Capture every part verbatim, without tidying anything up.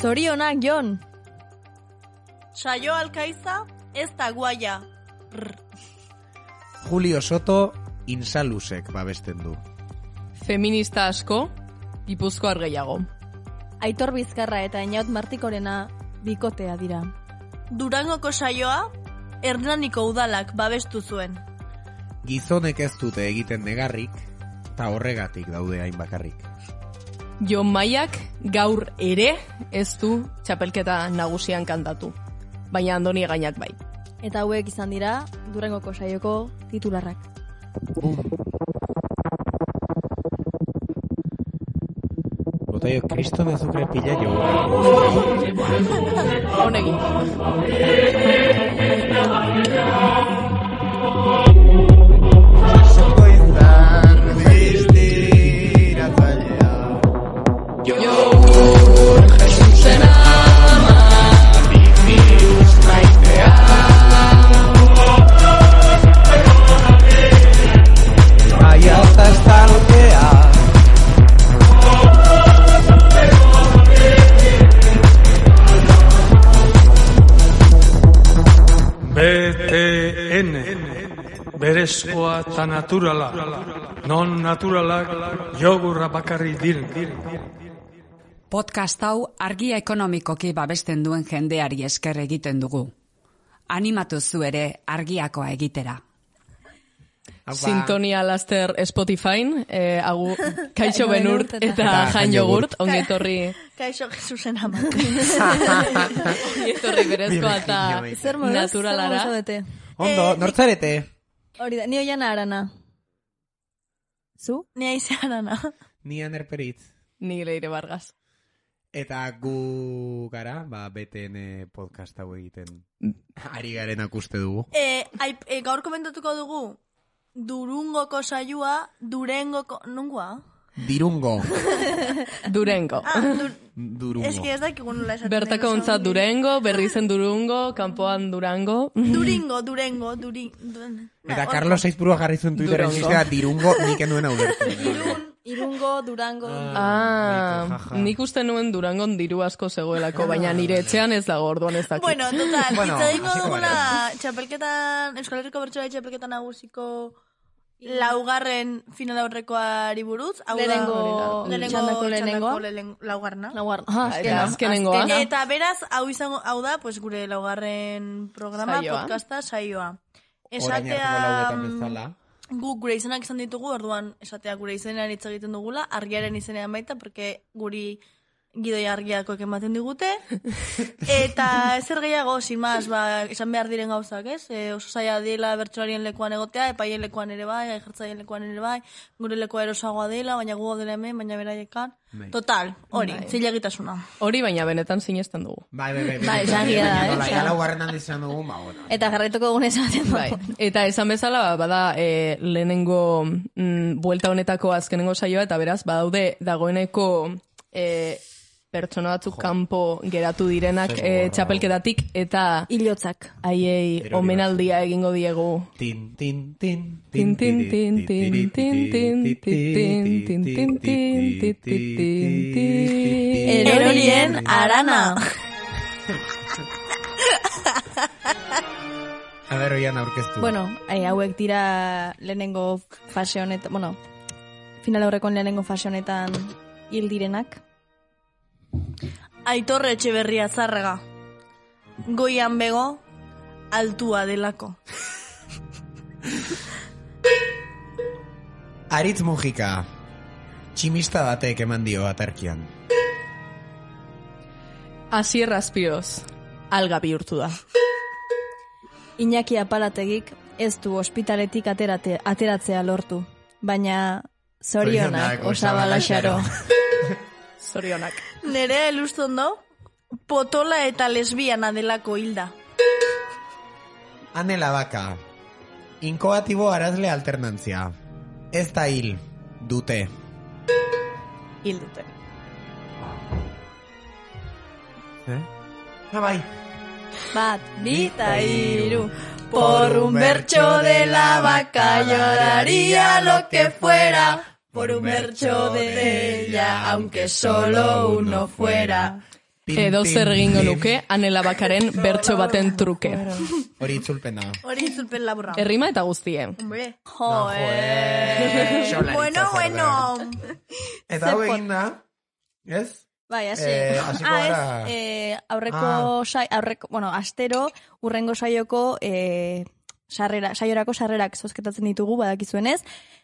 Zorionak, Jon! Saio Alkaiza, ez da guaia. Julio Soto, Insalusek babesten du. Feminista asko, Gipuzkoar gehiago. Aitor Bizkarra eta Eñaut Martikorena bikotea dira. Durangoko saioa, Hernaniko udalak babestu zuen. Gizonek ez dute egiten negarrik, eta horregatik daude hain bakarrik. Jon Maiak gaur ere ez du txapelketa nagusian kantatu, baina Andoni Gainak bai. Eta hauek izan dira Durangoko saioko titularrak. Botaio, kriston azukre pila jo. Honegin. B T N berezkoa eta naturala, non naturalak jogurra bakarri diren. Podcast hau argia ekonomikoki babesten duen jendeari esker egiten dugu. Animatu zu ere argiakoa egitera. Sintonia laster Spotifyn, eh, agu, Kaixo Benurt eta Jan Jogurt, ongetorri... Kaixo Jesusen ama. Ongetorri berezkoa eta naturalara. Ondo, nortzarete? Hori da, ni Oiana Arana. Zu? Ni Aize Arana. Ni Aner Peritz. Ni Leire Vargas. Eta gu gara, ba, B T N podcast hau egiten ari garenak uste dugu. E, ai, e, gaur komentatuko dugu, Durungoko saioa, Durengoko... Nungoa? Dirungo. Durengo. Ah, dur... Durungo. Ez que ez dakik nula esaten. Bertako ontzat Durengo, berri zen Durungo, kanpoan Durango. Duringo, Durengo, Duri... Eta Carlos Saizburua jarri zuen Twitteren zizera Dirungo nik enuen hau bertu. Irun, Irungo, Durango... Ah, nik uste nuen Durangon diru asko zegoelako, baina nire etxean ez dago, orduan ez dakit. Bueno, total, Bueno, itzadingo hasiko dugula gara. txapelketan, Euskal Herriko Bertsolari txapelketan nagusiko laugarren final aurrekoari buruz. Hau da, Lehenengo lehenengo txandako lehenengoa. txandako lehen- laugarna. Laugarren. Ah, Eta azkenengoa. Eta beraz, hau izango, hau da, pues gure laugarren programa, Saioa. podcasta, saioa. Orain arteko Esatea, lauetan bezala. guk gure izenak izan ditugu, orduan esatea gure izenean hitz egiten dugula, argiaren izenean baita, porque guri gidoi argiakoek ematen digute. Eta zer gehiago, sin más, ba, esan behar diren gauzak, ez? E, oso zaila dela bertsolarien lekuan egotea, epaien lekuan ere bai, aijertzaien lekuan ere bai, gure lekoa erosagoa dela, baina gu dela hemen, baina beraiekan. Bai. Total, hori, zilegitasuna. Hori baina benetan sinesten dugu. Bai, bai, bai. Bai, esan gira da, eh, Nola, esan. ja laugarren handi izan dugu, ba, bueno. Eta jarraituko dugun esaten Bai. Eta esan bezala, ba, bada e, lehenengo mm, buelta honetako azkenengo saioa, eta beraz, badaude dagoeneko e, pertsona batzuk kanpo geratu direnak e, txapelketatik, eta Ilotzak. haiei Erori omenaldia egingo diegu. Tin, tin, tin, Tin, tin, tin, tin, tin, tin, tin, tin, tin, tin, tin, tin, tin. Erorien Arana. A ber, oian aurkeztu. Bueno, eh, hauek dira lehenengo fase honetan, bueno, final aurrekon lehenengo fase honetan hil direnak. Aitor Etxeberria Zarrega. Goian bego, altua delako. Aritz Mujika. Tximista batek eman dio atarkian. Asier Azpiroz, alga bihurtu da. Iñaki Apalategik ez du ospitaletik aterate, ateratzea lortu, baina zorionak osabala xaro. Zorionak. Nerea Elustondo, potola eta lesbiana delako hilda. Anela Baka. Inkoatibo arazle alternantzia. Ez da hil, dute. Hil dute. Eh? Ah, bai. Bat, bi eta hiru. Por un bercho de la vaca lloraría lo que fuera. Por un bercho de ella, aunque solo uno fuera. Edo zer egingo nuke, Anela Bakaren bertso baten truke. Hori itzulpen da. Hori itzulpen laburra. Errima eta guztie. Hombre. Jo, eh. Bueno, bueno. Eta hau egin da, ez? Bai, hasi. Eh, hasiko ah, gara. ez, eh, aurreko, Ah. sai, aurreko, bueno, astero, urrengo saioko, eh, sarrera, saiorako sarrerak zozketatzen ditugu, badakizuenez.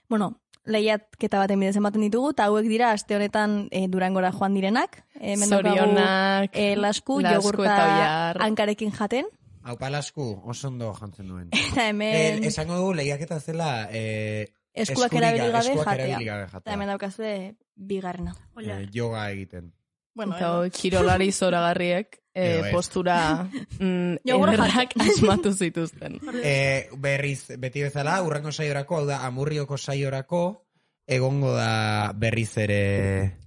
Bueno, lehiatketa baten bidez ematen ditugu, eta hauek dira aste honetan e, Durangora joan direnak. E, Zorionak, e, lasku, Lasku jogurta eta Oiar. hankarekin jaten. Hau palasku, oso ondo jantzen duen. Eta hemen Eh, esango dugu lehiaketa zela eh, eskuak eskuriga- erabili gabe eskuak jatea. erabili gabe jatea. Eta hemen daukazue bigarrena. Eh, yoga egiten. Bueno, Eta kirolari zoragarriek eh, Edo ez. postura mm, Jogurra ederrak asmatu zituzten. Eh, berriz, beti bezala, urrengo saiorako, hau da, amurrioko saiorako, egongo da berriz ere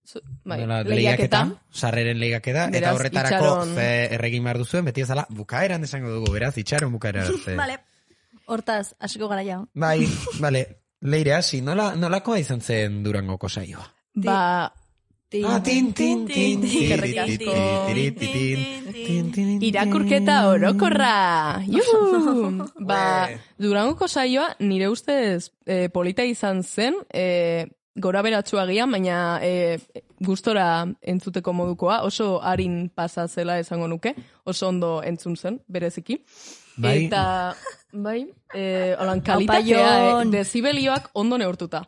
Zu- Bai, nola, lehiaketa. sarreren lehiaketa, eta Beraz, horretarako itxaron- ze erregin behar duzuen, beti bezala, bukaeran esango dugu, beraz, itxaron bukaera arte. Vale. Hortaz, hasiko gara ja. Bai, bale, leire hasi, nola, nolakoa izan zen Durangoko saioa? Ba, Tin, Ah, tin, tin, tin, tin, Eskerrik asko. tin, tin, tin, tin, tin, irakurketa orokorra! Juhu! Ba, Ue. Durangoko saioa nire ustez eh, polita izan zen, eh, gora beratsua agian, baina eh, gustora entzuteko modukoa, oso harin pasa zela esango nuke, oso ondo entzun zen, bereziki. Bai. Eta, bai, eh, holan Aupa, kalitatea, eh, Jon. dezibelioak ondo neurtuta.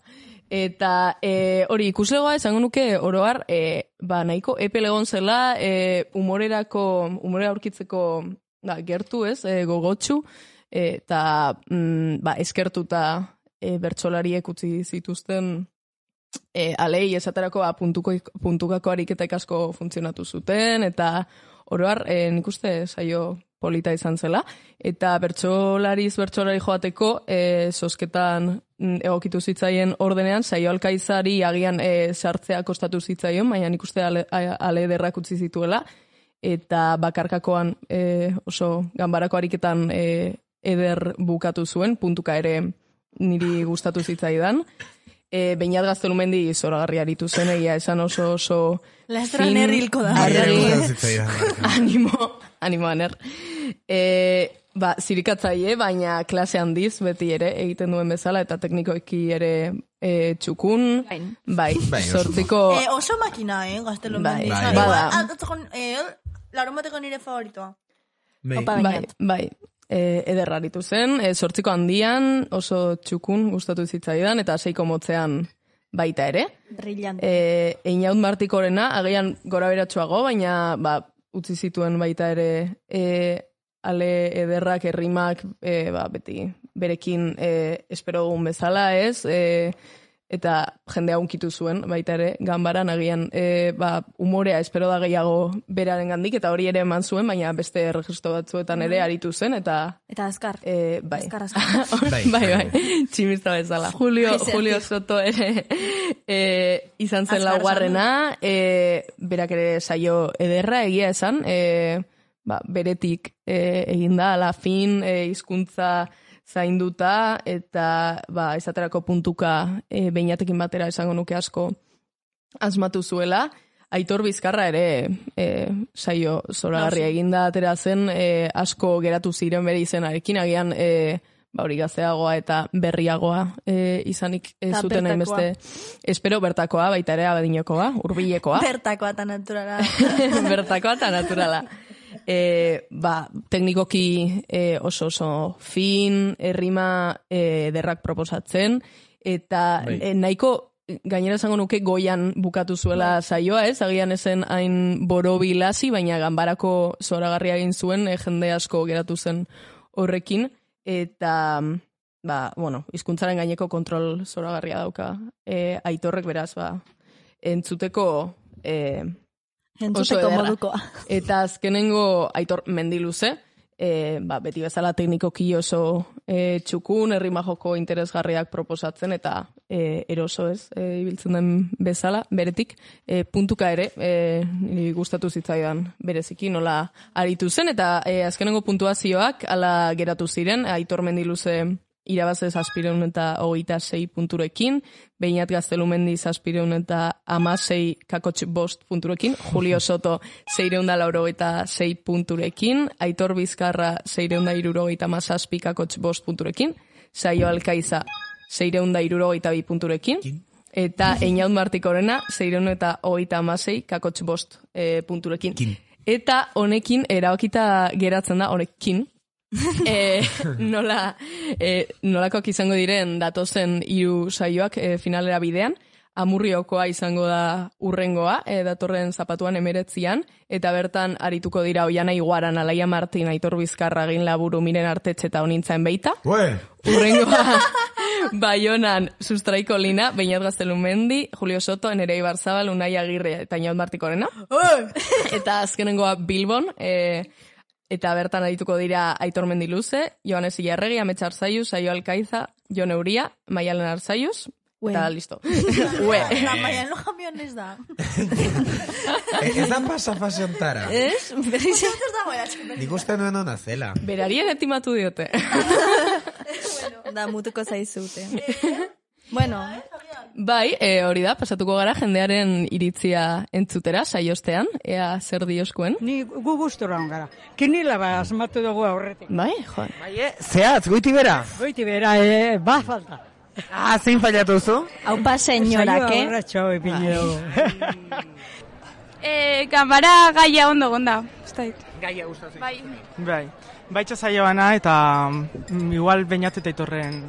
Eta eh, hori ikuslegoa esango nuke oroar, eh, ba, nahiko epel egon zela, eh, humorerako, humorera aurkitzeko da, gertu ez, eh, gogotsu, eh, eta mm, ba, eskertuta eh, bertsolariek utzi zituzten eh, alei esaterako ba, puntuko, puntukako ariketak asko funtzionatu zuten, eta oroar eh, nik uste saio polita izan zela, eta bertsolariz bertsolari joateko e, zozketan mm, egokitu zitzaien ordenean, saio alkaizari agian e, sartzea kostatu zitzaion, baina nik uste ale, ale ederrak utzi zituela, eta bakarkakoan e, oso ganbarako ariketan e, eder bukatu zuen, puntuka ere niri gustatu zitzaidan. E, Beñat Gaztelumendi zoragarri aritu zen, egia esan oso oso Lastra fin, nerrilko da. argi, Gustatzen zitzaidan, Marka. animo, animo aner. E, ba, zirikatzaile, baina klase handiz beti ere egiten duen bezala, eta teknikoeki ere e, txukun, Bain. bai, Bai, oso sortiko, Eh, oso makina, eh, gaztelo Bai, mendi. bai, bada. Eh, larun bateko nire favoritoa. Bai. Opa, bai, Beñat. bai, e, ederraritu zen, e, sortziko handian, oso txukun gustatu zitzaidan, eta seiko motzean baita ere. Brillante. E, Einaut Martikorena, agian gora beratxoago, baina ba, utzi zituen baita ere e, ale ederrak, errimak, e, ba, beti berekin e, espero dugun bezala, ez? E, eta jendea unkitu zuen, baita ere, ganbaran agian e, ba, umorea espero da gehiago beraren gandik, eta hori ere eman zuen, baina beste registro batzuetan ere aritu zen, eta Eta azkar. e, bai. Azkar, azkar. bai, Bai, bai, tximista bezala. Julio, Bai, Julio Soto ere e, izan zen Azkar laugarrena, e, berak ere saio ederra egia esan, e, ba, beretik e, eginda, ala fin, e, hizkuntza zainduta, eta ba, esaterako puntuka e, beinatekin batera esango nuke asko asmatu zuela. Aitor Bizkarra ere e, saio zoragarria eginda atera zen, e, asko geratu ziren bere izenarekin, agian e, ba, hori gazteagoa eta berriagoa e, izanik ez Eta zuten bertakoa. hainbeste. Espero bertakoa, baita ere abadinokoa, hurbilekoa. Bertakoa eta naturala. Bertakoa eta naturala. E, ba, teknikoki e, oso oso fin, errima e, derrak proposatzen, eta Bai. e, nahiko gainera esango nuke goian bukatu zuela saioa, ez? Agian ezen hain borobilasi, baina ganbarako zoragarria egin zuen, e, jende asko geratu zen horrekin, eta ba, bueno, hizkuntzaren gaineko kontrol zoragarria dauka e, Aitorrek, beraz, ba, entzuteko e, Entzuteko ederra. modukoa. Eta azkenengo Aitor Mendiluze, e, ba, beti bezala teknikoki oso e, txukun, errima joko interesgarriak proposatzen, eta e, eroso ez, e, ibiltzen den bezala, beretik, e, puntuka ere, e, niri gustatu zitzaidan bereziki, nola aritu zen, eta e, azkenengo puntuazioak ala geratu ziren, Aitor Mendiluze irabaze zazpireun eta hogeita sei punturekin, Beñat Gaztelumendi zazpireun eta amasei kakotx bost punturekin, Julio Soto seireun da laurogeita sei punturekin, Aitor Bizkarra seireun da irurogeita amazazpi kakotx bost punturekin, Saio Alkaiza seireun da irurogeita bi punturekin, eta Einaut Martikorena seireun eta hogeita amasei kakotx bost e, punturekin. Kin. Eta honekin erabakita geratzen da, honekin, e, nola, e, nolakoak izango diren datozen hiru saioak e, finalera bidean, Amurriokoa izango da urrengoa, e, datorren zapatuan emeretzian, eta bertan arituko dira Oiana Iguaran, Alaia Martin, Aitor Bizkarra, Egin Laburu, Miren Artetxe eta Onintzaen Beita. Ue! Urrengoa Baionan Sustraiko Lina, Beñat Gaztelumendi, Julio Soto, Nerei Barzabal, Unai Agirre eta Inaut Martikorena. Eta azkenengoa Bilbon, e, eta bertan arituko dira Aitor Mendiluze, Joanes Ilarregi, Ametsa Arzaiuz, Saio Alkaiza, Jon Euria, Maialen Arzaiuz, eta listo. Ue. La maia no jamiones da. Ez da pasa fase ontara. Ez? Ez da goia txupen. Nik uste nuen hona zela. Berarien etimatu diote. Da, mutuko zaizute. Bueno, Bai, e, hori da, pasatuko gara jendearen iritzia entzutera, saiostean, ea zer dioskuen. Ni gu gustora on gara. Kinila ba asmatu dugu aurretik. Bai, jo. Bai, eh? Zehatz, goiti bera. Goiti bera, eh, ba falta. Ah, zein fallatu zu? haupa senyorak, Saioa eh? horratxo ipini dugu. Eh, gamara gaia ondo gonda. Gaia gustatzen. Bai. Bai. Baitza saioana eta mm, igual Beñat eta Aitorren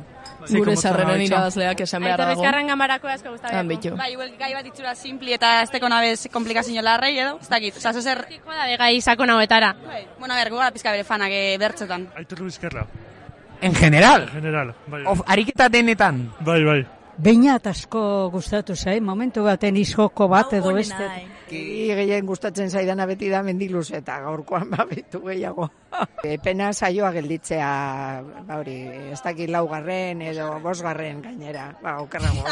Gure sarreren irabazleak esan behar dago. Aitorrizkarren gamarako asko gustatzen. Han bitu. Bai, igual gai bat itxura simpli eta ez teko nabez komplikazio larrei edo, ez dakit. Osa, zozer... Tiko da begai sakon hauetara. Bai. Bueno, a ver, gugara pizka bere fanak eh, bertzetan. Aitor Bizkarra. En general? En general, bai. Of, ariketa denetan? Bai, bai. Beñat asko gustatu zai, momentu baten izoko bat edo beste. Ki gehien gustatzen zaidana beti da Mendiluz eta gaurkoan babitu gehiago. E, pena saioa gelditzea, ba hori, ez dakit laugarren edo bosgarren gainera, ba, okerrago.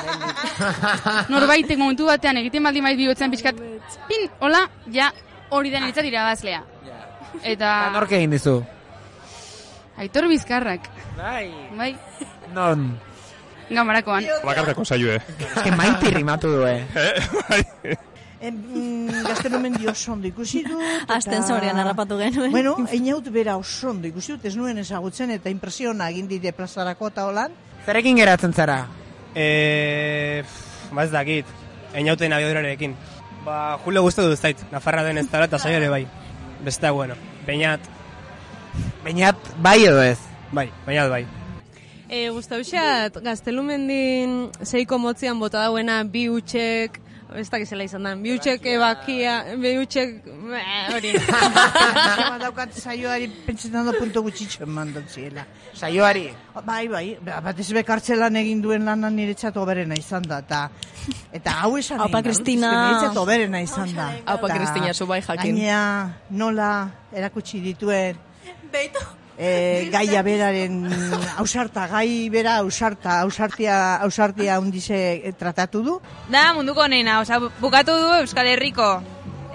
Norbaitek momentu batean egiten baldin bai bihotzen pixkat, pin, hola, ja, hori den elitzat irabazlea. Eta... Nork egin dizu? Aitor Bizkarrak. Bai. Bai. Non? Gamarakoan. Bakarkako saioe. Ez que maiti rimatu du, eh? Gaztelumendi oso ondo ikusi dut. Azten zorean harrapatu genuen. Bueno, Einaut bera oso ondo ikusi dut, ez nuen ezagutzen eta impresiona egin dide plazarako eta holan. Zerekin geratzen zara? Eh, ba ez dakit, Einauten abiadurarekin. Ba, Julio guztu dut zait, Nafarra den ez dara eta saio ere bai. Beste, bueno, Beñat. Beñat bai edo ez? Bai, Beñat bai. E, Gustauxat, Gaztelumendin zeiko motzian bota dauena bi utxek, ez dakizela izan da, bi utxek ebakia, bi utxek, hori. Daukat saioari pentsetan da punto gutxitxo eman ziela. Saioari? Bai, bai, bat ez bekartzelan egin duen lanan niretzat oberena izan da, eta eta hau esan Aupa Kristina. niretzat oberena izan da. Aupa Kristina, zu bai jakin. Gainea, nola erakutsi dituen, Beito. E, gaia beraren ausarta, gai bera ausarta, ausartia, ausartia hundize tratatu du. Da, munduko nena, oza, bukatu du Euskal Herriko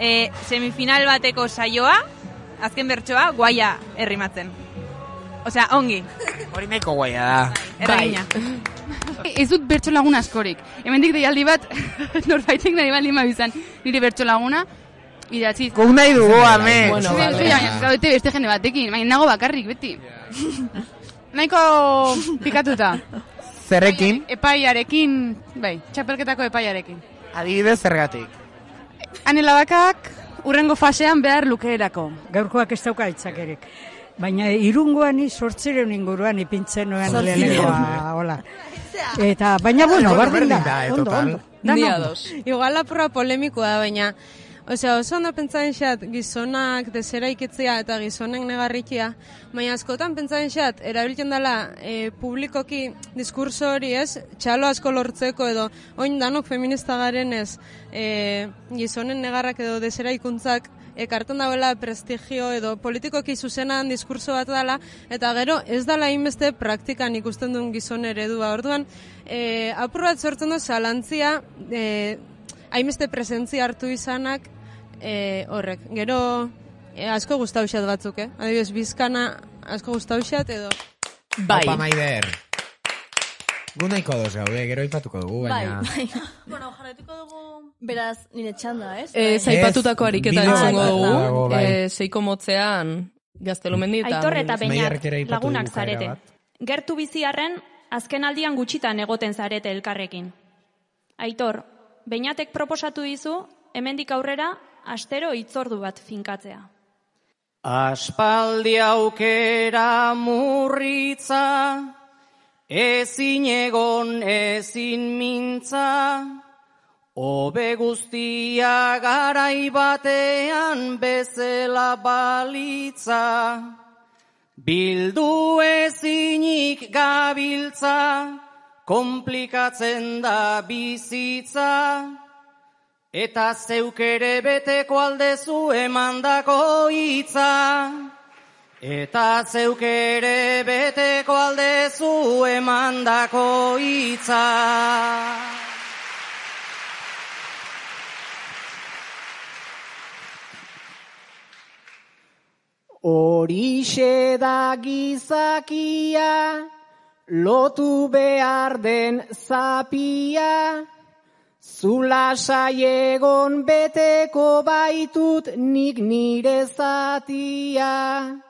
e, semifinal bateko saioa, azken bertsoa, guaia errimatzen. Osea, ongi. Hori nahiko guaia da. Erregina. Ez dut bertso lagun askorik. Hemendik deialdi bat, norbaitek nahi baldin mabizan, nire bertso laguna, idatziz. Guk nahi dugu, ame. Bueno, vale. Gaute beste jende batekin, baina nago bakarrik, beti. Nahiko pikatuta. Zerrekin? Epaiarekin, bai, txapelketako epaiarekin. Adibidez zergatik? Anelabakak urrengo fasean behar lukeerako. Gaurkoak ez dauka itzakerik. Baina irungoan sortzireun inguruan ipintzen nuen lehenengoa, hola. Eta, baina bueno, bardin da, ondo, ondo. Dia dos. Igual apurra polemikoa da, baina osea, oso ondo pentsatzen xat gizonak desera ikitzea eta gizonek negarrikia, baina askotan pentsatzen xat erabiltzen dela e, publikoki diskurso hori ez, txalo asko lortzeko edo oin danok feminista garen ez e, gizonen negarrak edo desera ikuntzak ekartzen dauela prestigio edo politikoki zuzenan diskurso bat dela, eta gero ez dela inbeste praktikan ikusten duen gizon eredua. Orduan, e, apur bat sortzen du zalantzia, e, hainbeste presentzia hartu izanak e, horrek. Gero e, asko gustauxat batzuk, eh? Adibidez, Bizkana asko gustauxat edo... Bai. Opa, Maider. Gu nahiko ados gaude, gero aipatuko dugu, baina... Bai, bai. Bueno, jarraituko dugu... Beraz, nire txanda, ez? Eh, zaipatutako ariketa bideo entzongo bat dugu, dago, bai. eh, seiko motzean Gaztelumendi eta... Aitor eta Beñat Maiarrek ere aipatu lagunak du bukaera zarete. bat. Gertu biziarren, azken aldian gutxitan egoten zarete elkarrekin. Aitor, Beñatek proposatu dizu, hemendik aurrera, astero hitzordu bat finkatzea. Aspaldi aukera murritza, ezin egon ezin mintza, hobe guztia garai batean bezala balitza. Bildu ezinik gabiltza, komplikatzen da bizitza, eta zeuk ere beteko aldezu emandako hitza. Eta zeuk ere beteko aldezu emandako hitza. Horixe da gizakia, lotu behar den zapia, zula saiegon beteko baitut nik nire zatia.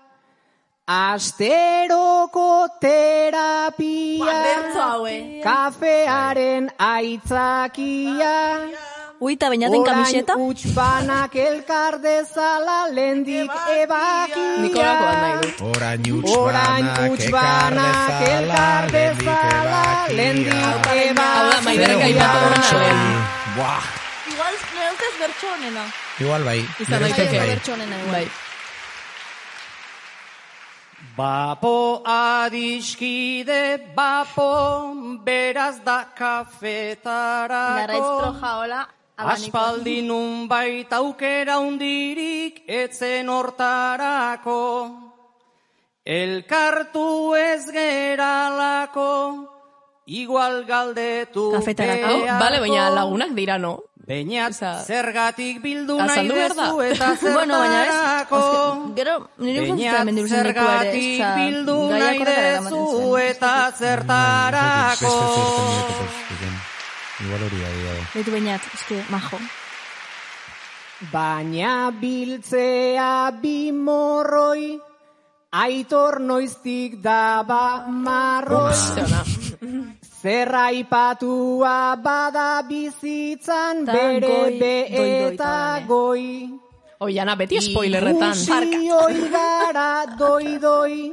Asteroko terapia, kafearen aitzakia, Uita, Beñaten kamiseta? Orain utxpanak elkar dezala lendik ebakia. Nikolako bat nahi dut. Orain utxbanak elkar dezala lendik ebakia. Hau da, Maiderrek aipatu horren alen. Buah. Igual, nire ustez bertso honena. Igual bai. Izan Nire ustez daiteke. bai. Bertso honena, igual. Bai. Bapo adiskide, bapo, beraz da kafetarako. Larraitz troja, hola. Aspaldi nunbait aukera hundirik etzen hortarako. Elkartu ez geralako, igual galdetu Kafetarako, bale, baina lagunak dira, no? Beñat, zergatik bildu nahi azaldu behar da. dezu eta Bueno, baina ez, zertarako. azke- gero, nire ustez Beñat, hemen diruzen leku ere, zergatik osea, bildu gaiak nahi horretara eramaten dezu zuen. eta zertarako. Igual hori da, dira. Beitu Beñat, eske, majo. Baina biltzea bi morroi, Aitor noiztik daba marroi. Zerra ipatua bada bizitzan bere be eta goi. Oiana, beti spoilerretan. Ikusi oi gara doi doi,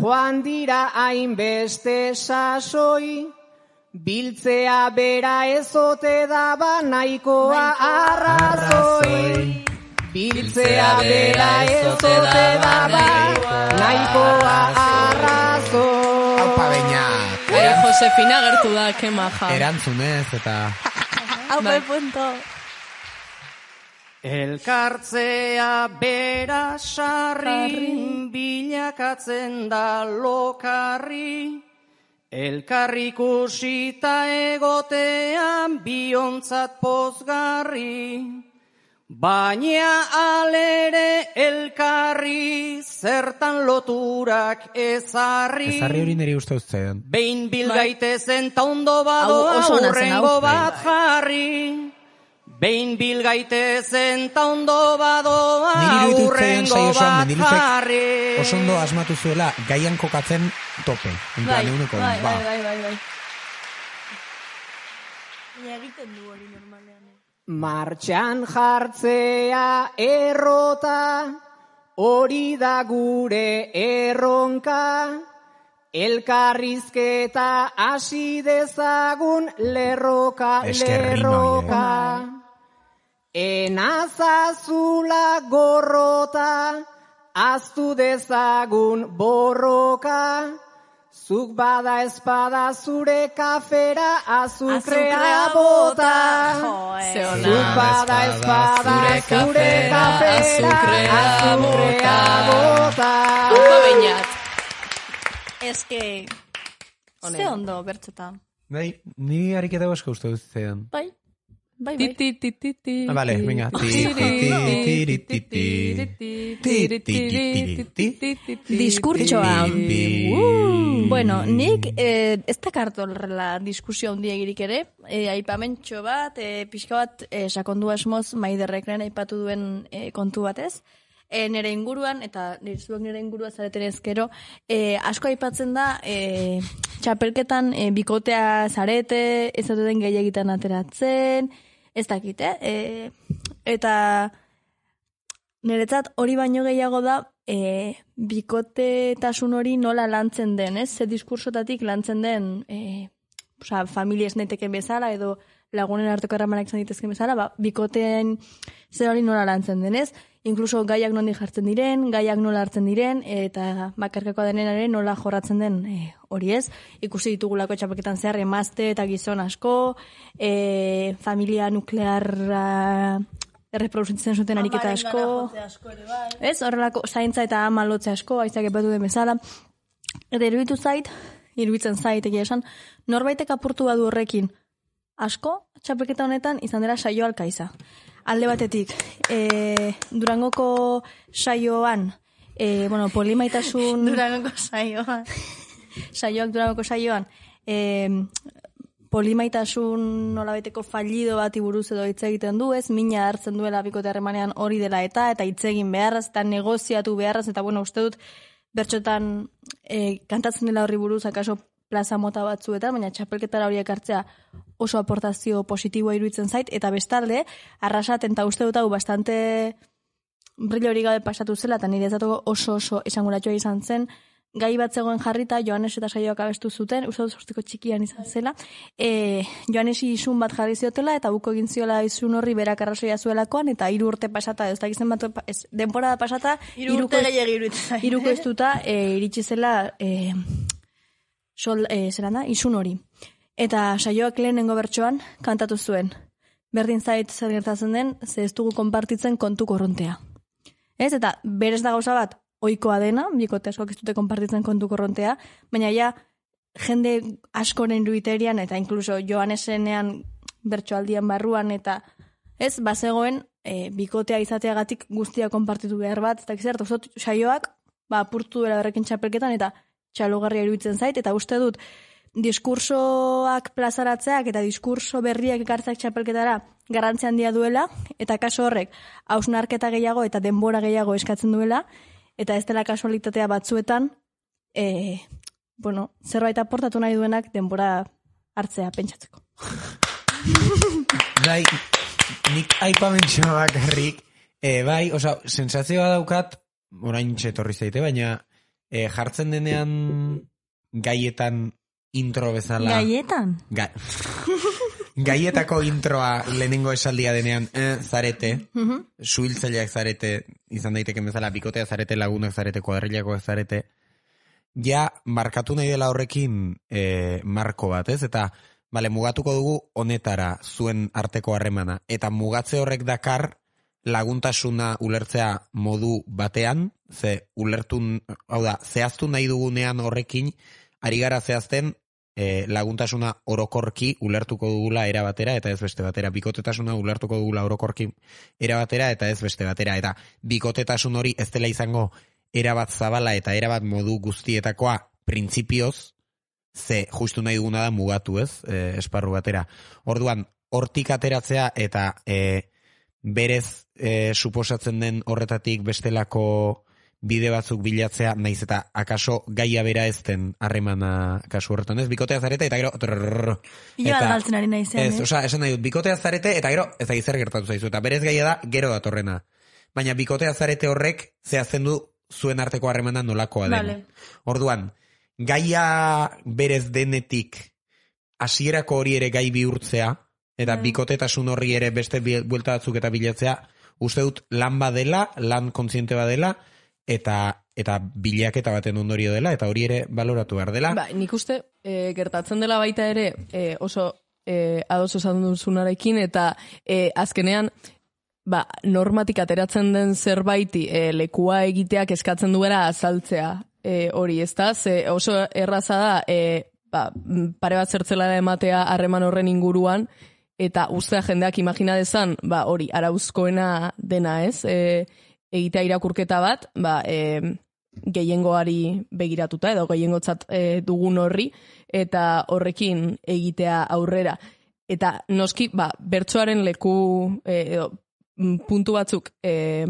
joan dira hainbeste sasoi. Biltzea bera ezote daba nahikoa arrazoi. Biltzea bera ezote daba nahikoa arrazoi. Aupa Beñat. Eh, Josefina gertu da, ke maja. Erantzunez eta... Hau bai punto. Elkartzea bera sarri, bilakatzen da lokarri. Elkarrikusita egotean biontzat pozgarri. Baina alere elkarri zertan loturak ezarri. Ezarri hori niri uste uztean. Behin bilgaitezen ta ondo badoa urrengo bat jarri. Behin bilgaitezen ta ondo badoa urrengo bat jarri. Oso ondo asmatu zuela gaian kokatzen tope. Bai, Euneko, bai, ba. bai, bai, bai, bai. Baina egiten du hori normalean. Martxan jartzea errota, hori da gure erronka. Elkarrizketa hasi dezagun lerroka, lerroka. Enazazula gorrota, aztu dezagun borroka. Zuk bada espada zure kafera azukrea bota. Zuk bada espada zure kafera azukrea bota. Aupa Beñat. Eske, ze ondo bertxota. Bai, ni ariketa asko uste uztean. Bai, bai, bai. Ti, ti, ti, ti. Ah, vale, venga. Ti, ti, ti, ti, ti, ti. Diskurtsoa. Bueno, nik eh, ez dakart horrela diskusio handia egirik ere, eh, aipamentxo bat, eh, pixka bat eh, sakondu asmoz Maiderrekren aipatu duen eh, kontu batez. E, nire inguruan, eta nire zuek nire ingurua zareten ezkero, e, asko aipatzen da, e, txapelketan e, bikotea zarete, ez dut den gehiagitan ateratzen, ez dakit, eh? E, eta niretzat hori baino gehiago da, e, bikotetasun hori nola lantzen den, ez? Ze diskursotatik lantzen den, e, oza, familia esneteken bezala, edo lagunen arteko erramanak izan ditezken bezala, ba, bikoteen zer hori nola lantzen den, ez? Inkluso gaiak nondi jartzen diren, gaiak nola hartzen diren, eta bakarkakoa denenare nola jorratzen den e, hori ez. Ikusi ditugulako txapelketan zehar emazte eta gizon asko, e, familia nuklearra erreproduzitzen zuten ariketa asko. Ez, horrelako zaintza eta ama lotze asko, aizak epatu den bezala. Eta iruditu zait, iruditzen zait, egia esan, norbaitek apurtu badu horrekin asko, txapelketa honetan izan dela Saio Alkaiza. Alde batetik, e, Durangoko saioan, e, bueno, polimaitasun... Durangoko saioan. Saioak Durangoko saioan, e, polimaitasun nolabeteko fallido bati buruz edo hitz egiten du, ez, mina hartzen duela bikote harremanean hori dela eta, eta hitz egin beharraz, eta negoziatu beharraz, eta bueno, uste dut, bertxotan e, kantatzen dela horri buruz, akaso plaza mota batzuetan, baina txapelketara horiek hartzea oso aportazio positiboa iruditzen zait, eta bestalde, arrasaten eta uste dut hau bastante brillo hori gabe pasatu zela, eta nire ezatuko oso oso esanguratua izan zen, gai bat zegoen jarrita, Joanes eta Saioak abestu zuten, uste dut sortzeko txikian izan zela, e, Joanesi izun bat jarri ziotela, eta buko egin ziola izun horri berak arrazoia zuelakoan, eta hiru urte pasata, ez dakizen bat, ez, denporada pasata, hiru urte gehiagi iruditzen zait. Hiruko estuta, e, iritsi zela, e, sol, e, zelan da, izun hori. Eta Saioak lehenengo bertsoan kantatu zuen. Berdin zait zer gertatzen den, ze ez dugu konpartitzen kontu korrontea. Ez? Eta berez da gauza bat, ohikoa dena, bikote askoak ez dute konpartitzen kontu korrontea, baina ja, jende askoren ruiterian, eta inkluso Joanesenean bertsoaldian barruan, eta ez, bazegoen, e, bikotea izateagatik guztia konpartitu behar bat, eta gizert, osot, Saioak, ba, apurtu dela berrekin txapelketan, eta txalogarria iruditzen zait, eta uste dut, diskursoak plazaratzeak eta diskurso berriak ekartzeak txapelketara garrantzi handia duela, eta kaso horrek hausnarketa gehiago eta denbora gehiago eskatzen duela, eta ez dela kasualitatea batzuetan, e, bueno, zerbait aportatu nahi duenak denbora hartzea pentsatzeko. Bai, nik aipamentxo bakarrik, e, bai, oza, sensazioa daukat, orain txetorri zaite, baina e, jartzen denean gaietan intro bezala... Gaietan? Ga... Gaietako introa lehenengo esaldia denean eh, zarete, uh-huh. Suhiltzaileak zarete, izan daiteken bezala, bikotea zarete, lagunak zarete, kuadrillakoak zarete, ja markatu nahi dela horrekin eh, marko bat, ez? Eta, bale, mugatuko dugu honetara zuen arteko harremana, eta mugatze horrek dakar laguntasuna ulertzea modu batean, ze ulertu, hau da, zehaztu nahi dugunean horrekin, ari gara zehazten e, laguntasuna orokorki ulertuko dugula era batera eta ez beste batera. Bikotetasuna ulertuko dugula orokorki era batera eta ez beste batera. Eta bikotetasun hori ez dela izango erabat zabala eta erabat modu guztietakoa printzipioz, ze justu nahi duguna da mugatu, ez, e, esparru batera. Orduan, hortik ateratzea eta e, berez e, suposatzen den horretatik bestelako bide batzuk bilatzea, naiz eta akaso gaia bera ez den harremana kasu horretan, ez? Bikotea zarete eta gero... Ila da galtzen ari naizen, ez, oza, esan nahi dut, bikotea zarete eta gero ez da zer gertatu zaizu, eta berez gaia da gero datorrena. Baina bikotea zarete horrek zehazten du zuen arteko harremana nolakoa den. Vale. Orduan, gaia berez denetik hasierako hori ere gai bihurtzea, eta mm. bikotetasun horri ere beste buelta batzuk eta bilatzea, uste dut lan badela, lan kontziente badela, eta eta bilaketa baten ondorio dela, eta hori ere baloratu behar dela. Ba, nik uste e, gertatzen dela baita ere e, oso e, ados esan duzunarekin, eta e, azkenean ba, normatik ateratzen den zerbaiti e, lekua egiteak eskatzen duela azaltzea e, hori, ezta? Ze oso erraza da e, ba, pare bat zertzela ematea harreman horren inguruan, eta ustea jendeak imagina dezan, ba, hori, arauzkoena dena, ez? E, egitea irakurketa bat, ba, e, gehiengoari begiratuta edo gehiengotzat e, dugun horri, eta horrekin egitea aurrera. Eta noski, ba, bertsoaren leku e, edo, puntu batzuk e,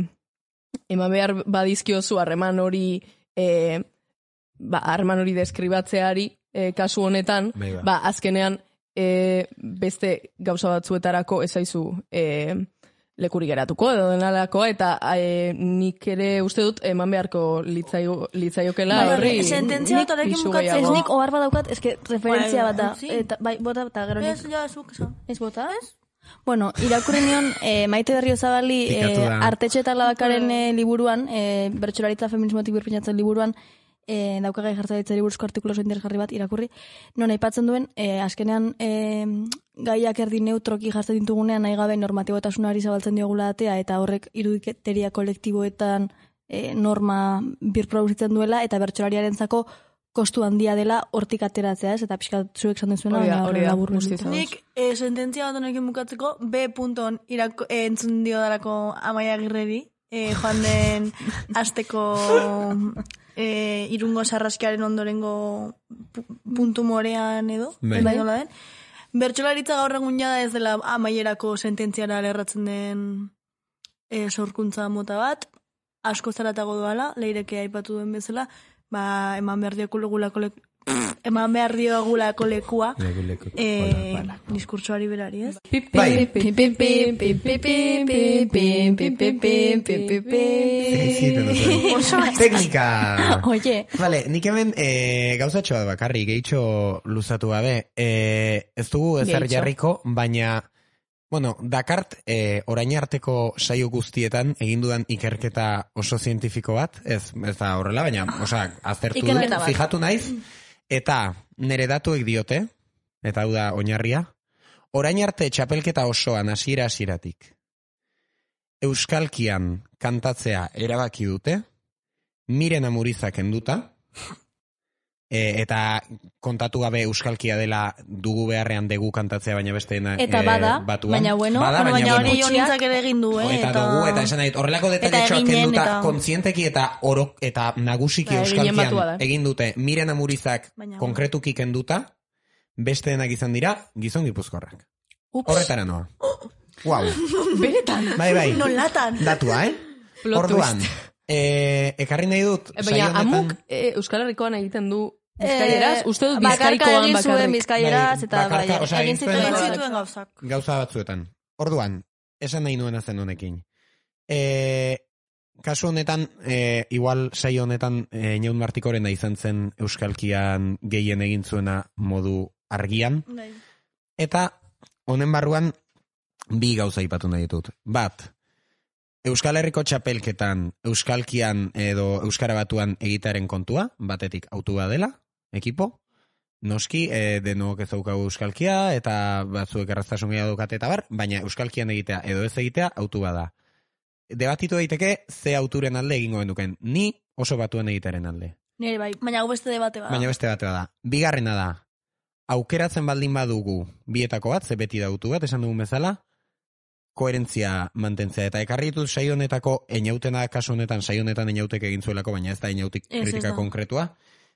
eman behar badizkiozu harreman hori e, ba, harreman hori deskribatzeari e, kasu honetan, Beiba. ba, azkenean e, beste gauza batzuetarako ezaizu e, lekuri geratuko edo denalako, eta e, nik ere uste dut eman beharko litzaio, litzaiokela horri. Sententzia bat horrekin bukatzen. Ez nik ohar bat daukat, eske referentzia bat da. Sí. Eta, bai, bota eta gero nik. Ez, ja, zuk esan. Ez bota? Ez? Bueno, irakurri nion eh, Maite Berriozabali Pikatu eh, da. Artetxe eta Labakaren eh, liburuan, eh, bertsolaritza feminismotik birpinatzen liburuan, eh, daukagai jartzaitzari buruzko artikulo oso interesgarri bat irakurri, non aipatzen duen, eh, azkenean eh, gaiak erdi neutroki jartzen ditugunean nahi gabe normatibotasunari zabaltzen diogula datea, eta horrek irudiketeria kolektiboetan eh, norma birproduzitzen duela, eta bertsolariarentzako kostu handia dela hortik ateratzea, ez? Eta pixkat zuek esan duzuena, Hori da, baina hori da, labur guztiz biltzen. Nik eh, sententzia bat honekin bukatzeko, B punton irako, eh, entzun dio darako Amaia Agirreri, eh, joan den asteko eh, irungo sarraskiaren ondorengo pu- puntu morean edo, Bai. bai nola den. Bertsolaritza gaur egun jada ez dela amaierako sententziara lerratzen den eh, sorkuntza mota bat, asko zaratago doala, leireke aipatu duen bezala, ba, eman behar diogulako leku, eman behar diogulako lekua, Leku, leku. eh, Hola, diskurtsoari berari, ez? Bai. Teknika! Oye. Vale, nik hemen e, gauzatxo bat bakarri, gehitxo luzatu gabe. E, ez dugu ezer Gehitxo. jarriko, baina, bueno, dakart e, orain arteko saio guztietan egin dudan ikerketa oso zientifiko bat, ez, ez da horrela, baina, osea, aztertu dut, Ikerketa bat. fijatu naiz, eta nire datuek diote, eta hau da oinarria, orain arte txapelketa osoan hasiera hasieratik euskalkian kantatzea erabaki dute, Miren Amurizak enduta, e, eta kontatu gabe euskalkia dela dugu beharrean dugu kantatzea baina besteena Eta bada, batuan. baina bueno, bada, bueno, baina, baina bueno, hori Jonintzak ere egin du, eh? eta dugu, eta esan nahi, horrelako Eta detailetxoak eginen, kenduta eta- kontzienteki eta orok, eta nagusiki Ba, eginen batua da. euskalkian egin dute Miren Amurizak Baina, konkretuki kenduta, besteenak izan dira gizon gipuzkorrak. Ups. Horretara noa. Wow. Benetan. Bai, bai. Nolatan. Datua, eh? Plot Orduan, twist. eh, ekarri nahi dut, E, saio baina, honetan- amuk e, Euskal Herrikoan egiten du bizkaieraz, Eh, uste dut bakarka bizkaikoan egin zuen bakarrik. bizkaieraz, eta Bai, bakarka, bai, osea, egin egin zuen- zituen Egin gauzak. zituen gauzak. gauza batzuetan. Orduan, esan nahi nuena zen honekin. E, kasu honetan, e, igual saio honetan, e, Inaun Martikorena izan zen euskalkian gehien egin zuena modu argian, Bai. eta honen barruan bi gauza ipatu nahi ditut. Bat, Euskal Herriko txapelketan euskalkian edo euskara batuan egitaren kontua, batetik autua dela, ekipo, noski, e, denok ez daukagu euskalkia, eta batzuek erraztasun gehiago daukate eta bar, baina euskalkian egitea edo ez egitea autu bada. Debatitu daiteke ze auturen alde egingo genuken. Ni oso batuen egitaren alde. Nire bai, baina hau beste debate bada. Baina beste bate da. Bigarrena da, aukeratzen baldin badugu bietako bat, ze beti da autu bat, esan dugun bezala, koherentzia mantentzea. Eta ekarri ditut saio honetako einautena, kasu honetan saio honetan einautek egin zuelako, baina ez da einautik Ez, ez kritika da. konkretua.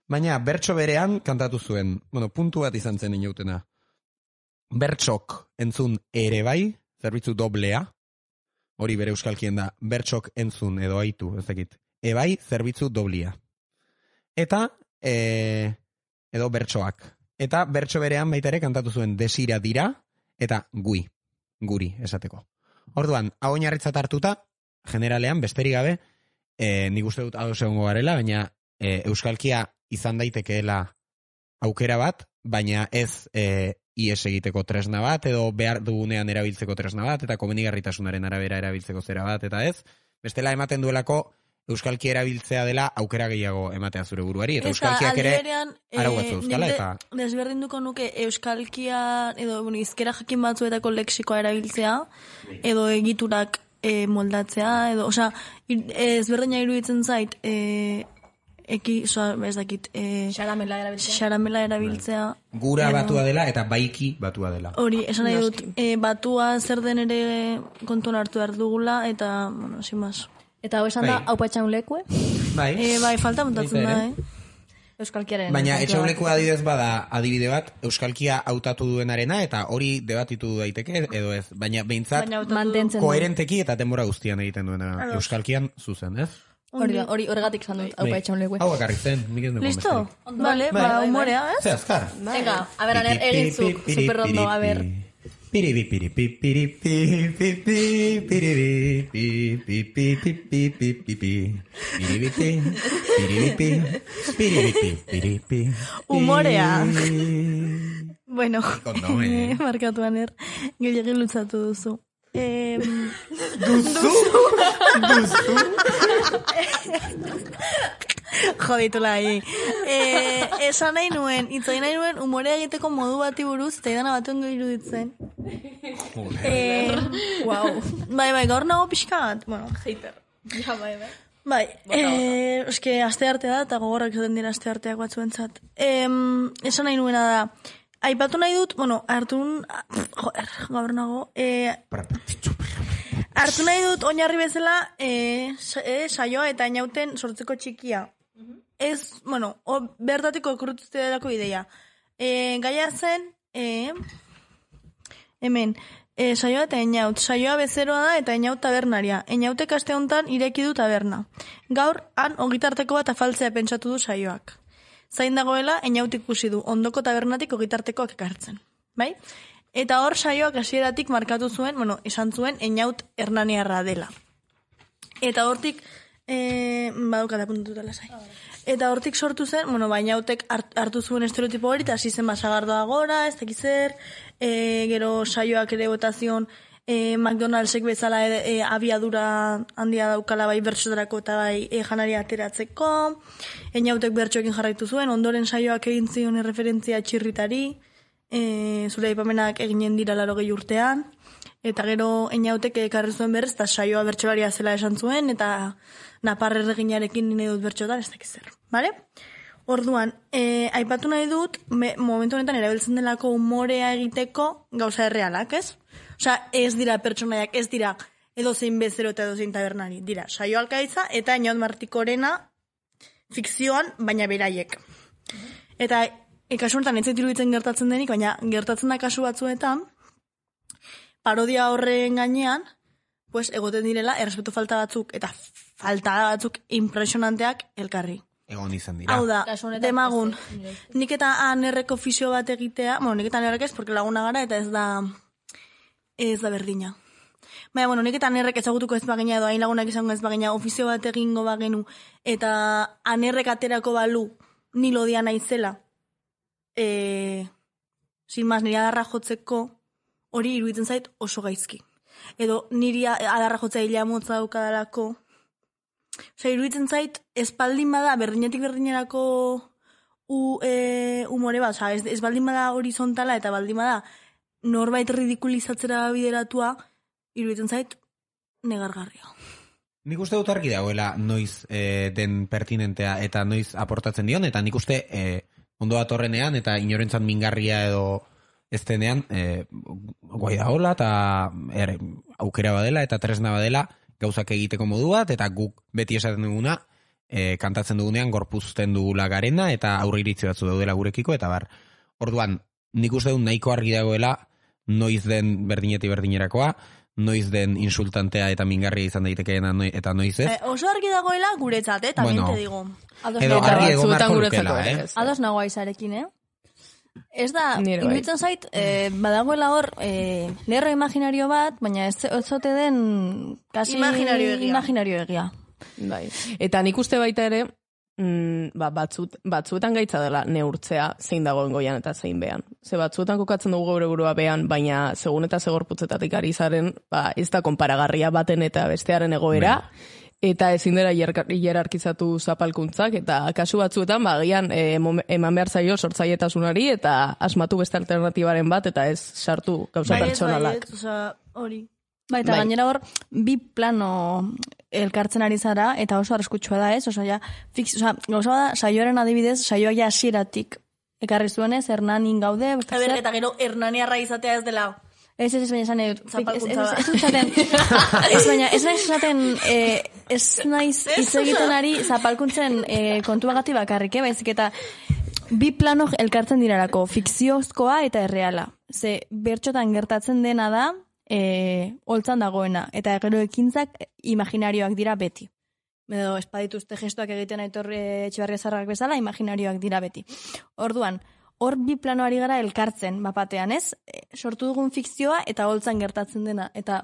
Baina bertso berean kantatu zuen, bueno, puntu bat izan zen einautena. Bertsok entzun ere bai, zerbitzu doblea, hori bere euskalkien da, bertsok entzun edo aitu, ez dakit. Ebai, zerbitzu doblia. Eta, e, edo bertsoak. Eta bertso berean baita ere kantatu zuen desira dira, eta gui, guri, esateko. Orduan, hau oinarritzat hartuta, generalean, besterik gabe, e, nik uste dut ados egongo garela, baina e, euskalkia izan daitekeela aukera bat, baina ez e, ies egiteko tresna bat, edo behar dugunean erabiltzeko tresna bat, eta komenigarritasunaren arabera erabiltzeko zera bat, eta ez. Bestela ematen duelako euskalki erabiltzea dela aukera gehiago ematea zure buruari, eta euskalkiak ere arau batzu euskala, eta... Desberdinduko nuke euskalkia, edo bueno, izkera jakin batzuetako leksikoa erabiltzea, edo egiturak e, moldatzea, edo, osea, ezberdina iruditzen zait, e, eki, oza, ez dakit, e, xaramela erabiltzea. Xaramela erabiltzea. Gura edo- batua dela, eta baiki batua dela. Hori, esan nahi dut, e, batua zer den ere kontuan hartu behar dugula, eta, bueno, sin más. Eta hau esan da, Bai. hau patxaun lekue. Bai. Eh, bai, falta montatzen Baita da, ere. eh? Euskalkiaren. Baina etxaulekua adibidez bada adibide bat, euskalkia hautatu duenarena, eta hori debatitu daiteke, edo ez. Baina behintzat, mantentzen du. koherenteki eta denbora guztian egiten duena. Ados. Euskalkian zuzen, ez? Hori da, hori horregatik esan dut, hau Bai. patxaun lekue. Hau bakarrik zen, miken dugu Listo? besterik. Vale, Bai. ba, humorea, ez? Ze azkar. Venga, a ver, aner, egintzuk, superrondo, a ver. Piribi, piribi, piribi, piribi, piribi, piribi, piribi, piribi, piribi, piribi, piribi. Humorea. Bueno, Kondo, eh. markatu aner, gehiagin lutzatu duzu. Eh, Duzu? Duzu? Joditula ahi. Eh, esan nahi nuen, itzain nahi nuen, humorea egiteko modu bati buruz, eta idana bat ongo iruditzen. Eh, wow. Bai, bai, gaur nago pixka bat. Bueno, hater. Ja, bai, bai. Bai, eh, eske aste arte da, eta gogorrak izaten dira aste arteak batzuentzat. Eh, esan nahi nuena da, aipatu nahi dut, bueno, hartun, joder, gaur nago, eh, hartu nahi dut oinarri bezala eh, sa- eh, saioa eta inauten sortzeko txikia. Ez, bueno, o, bertatiko okurrutuzteako ideia. E, gaia zen, e, hemen, e, saioa eta inaut. Saioa bezeroa da eta inaut tabernaria. Inautek aste honetan ireki du taberna. Gaur, han, ogitarteko bat afaltzea pentsatu du saioak. Zain dagoela, inaut ikusi du, ondoko tabernatik ogitartekoak ekartzen. Bai? Eta hor saioak hasieratik markatu zuen, bueno, esan zuen, inaut hernaniarra dela. Eta hortik, e, badukata puntututa lasai. Eta hortik sortu zen, bueno, baina hautek hartu zuen estereotipo hori, eta hasi zen basagardoa gora, ez dakiz zer, e, gero saioak ere botazion, e, McDonaldsek bezala e, e, abiadura handia daukala bai bertsotarako eta bai e, janaria ateratzeko, Einautek bertsoekin jarraitu zuen, ondoren saioak egin zion referentzia txirritari, e, zure aipamenak eginen dira larogei urtean, eta gero Einautek ekarri zuen berrez, eta saioa bertsolaria zela esan zuen, eta Napar erreginarekin nire dut bertxotan, ez dakiz zer, bale? Orduan, e, aipatu nahi dut, me, momentu honetan erabiltzen delako umorea egiteko gauza errealak, ez? Osea, ez dira pertsonaiak, ez dira edozein bezero eta edozein tabernari, dira saio alkaitza eta Inaut Martikorena fikzioan, baina beraiek. Eta e, kasu honetan ez zait iruditzen gertatzen denik, baina gertatzen da kasu batzuetan, parodia horren gainean, pues egoten direla, errespetu falta batzuk eta falta batzuk impresionanteak elkarri. Egon izan dira. Hau da, demagun, nik eta anerreko fisio bat egitea, bueno, nik eta anerrek ez, porque laguna gara, eta ez da, ez da berdina. Baina, bueno, nik eta anerrek ezagutuko ez bagina, edo hain lagunak izango ez bagina, ofizio bat egingo bagenu, eta anerrek aterako balu, nilo dia naizela, e, sin mas, nire adarra jotzeko, hori iruditzen zait oso gaizki. Edo niri adarra jotzea hila motza daukadalako, osea, iruditzen zait, espaldin bada, berdinetik berdinerako u, e, umore bat, osea, ez, ez baldin bada horizontala eta baldin bada norbait ridikulizatzera bideratua, iruditzen zait, negargarria. Nik uste dut argi dagoela noiz e, den pertinentea eta noiz aportatzen dion, eta nik uste e, ondo datorrenean eta inorentzat mingarria edo ez denean e, guai da hola eta er, aukera badela eta tresna badela gauzak egiteko modu bat, eta guk beti esaten duguna, e, kantatzen dugunean gorpuzten dugula garena, eta aurre iritzi batzu daudela gurekiko, eta bar, orduan, nik uste dut nahiko argi dagoela, noiz den berdineti berdinerakoa, noiz den insultantea eta mingarria izan daitekeena eta noiz ez. Eh, oso argi dagoela guretzat, eh, también bueno, te digo. Edo argi egon marko lukela, eh? Ados nago aizarekin, eh? Ez da, Nire bai. iruditzen zait, eh, badagoela hor, eh, lerro imaginario bat, baina ez ez zote den kasi Imaginario egia. imaginario egia. Bai. Eta nik uste baita ere, mm, ba, batzut, batzuetan gaitza dela neurtzea zein dagoen goian eta zein behan. Ze batzuetan kokatzen dugu gaur burua behan, baina segun eta segorputzetatik ari zaren, ba, ez da konparagarria baten eta bestearen egoera, eta ezin dela hierarkizatu zapalkuntzak, eta kasu batzuetan, ba, gian, e, eman behar zaio sortzailetasunari, eta asmatu beste alternatibaren bat, eta ez sartu gauza pertsonalak. Baiet, osea, hori. Ba, eta Bai. gainera hor, bi plano elkartzen ari zara, eta oso arriskutsua da ez, osea, ja, fix, osea, gauza bada, saioaren adibidez, saioa ja hasieratik ekarri zuenez, Hernanin gaude, A ber, eta gero Hernaniarra izatea ez dela Ez, ez, ez, baina esan edut. Ez, Zapalkuntza da. ez, ez, esaten, ez, baina, ez naiz esaten, eh, ez naiz hitz egiten ari zapalkuntzen eh, kontuagati bakarrik, eh, baizik eta bi plano elkartzen dirarako, fikziozkoa eta erreala. Ze, bertxotan gertatzen dena da, eh, holtzan dagoena, eta gero ekintzak imaginarioak dira beti. Edo, espadituzte gestoak egiten Aitor Etxebarria Zarrak bezala, imaginarioak dira beti. Orduan, hor bi planoari gara elkartzen, bapatean, ez? E, sortu dugun fikzioa eta holtzan gertatzen dena. Eta,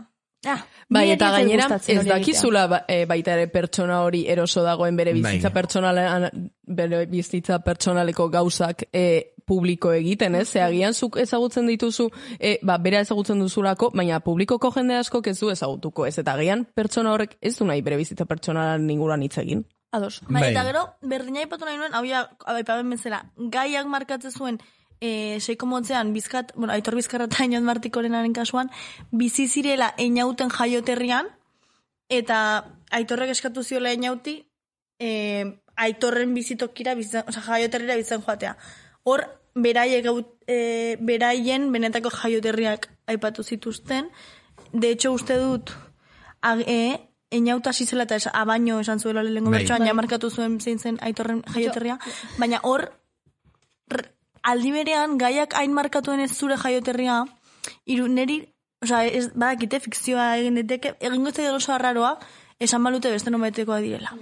ah, bai, eta gainera, ez dakizula ba, e, baita ere pertsona hori eroso dagoen bere bizitza personalean, bere bizitza personaleko gauzak e, publiko egiten, ez? Ze agian zuk ezagutzen dituzu, e, ba, bera ezagutzen duzulako, baina publikoko jende askok ez du ezagutuko, ez? Eta agian pertsona horrek ez du nahi bere bizitza personalean inguruan hitz egin. Ados. Bai, eta gero, berdina ipatu nahi nuen, hau ja, aipaben bezala, gaiak markatzen zuen, e, seiko motzean, bizkat, bueno, Aitor Bizkarra eta Iniot Martikorenaren kasuan, bizi zirela Einauten jaioterrian, eta Aitorrek eskatu ziola Einauti, e, Aitorren bizitokira, bizan, oza, jaioterrira bizitzen joatea. Hor, beraiek, e, beraien benetako jaioterriak aipatu zituzten, de hecho, uste dut, ag, e, Einauta zizela eta es, abaino esan zuela lehenko bertsoan, ja markatu zuen zein zen Aitorren jaioterria, baina hor, aldi berean, gaiak hain markatuen ez zure jaioterria, iru, neri, oza, ez, badakite, fikzioa egin diteke, egingo ez oso arraroa, esan balute beste nomaitekoa direla.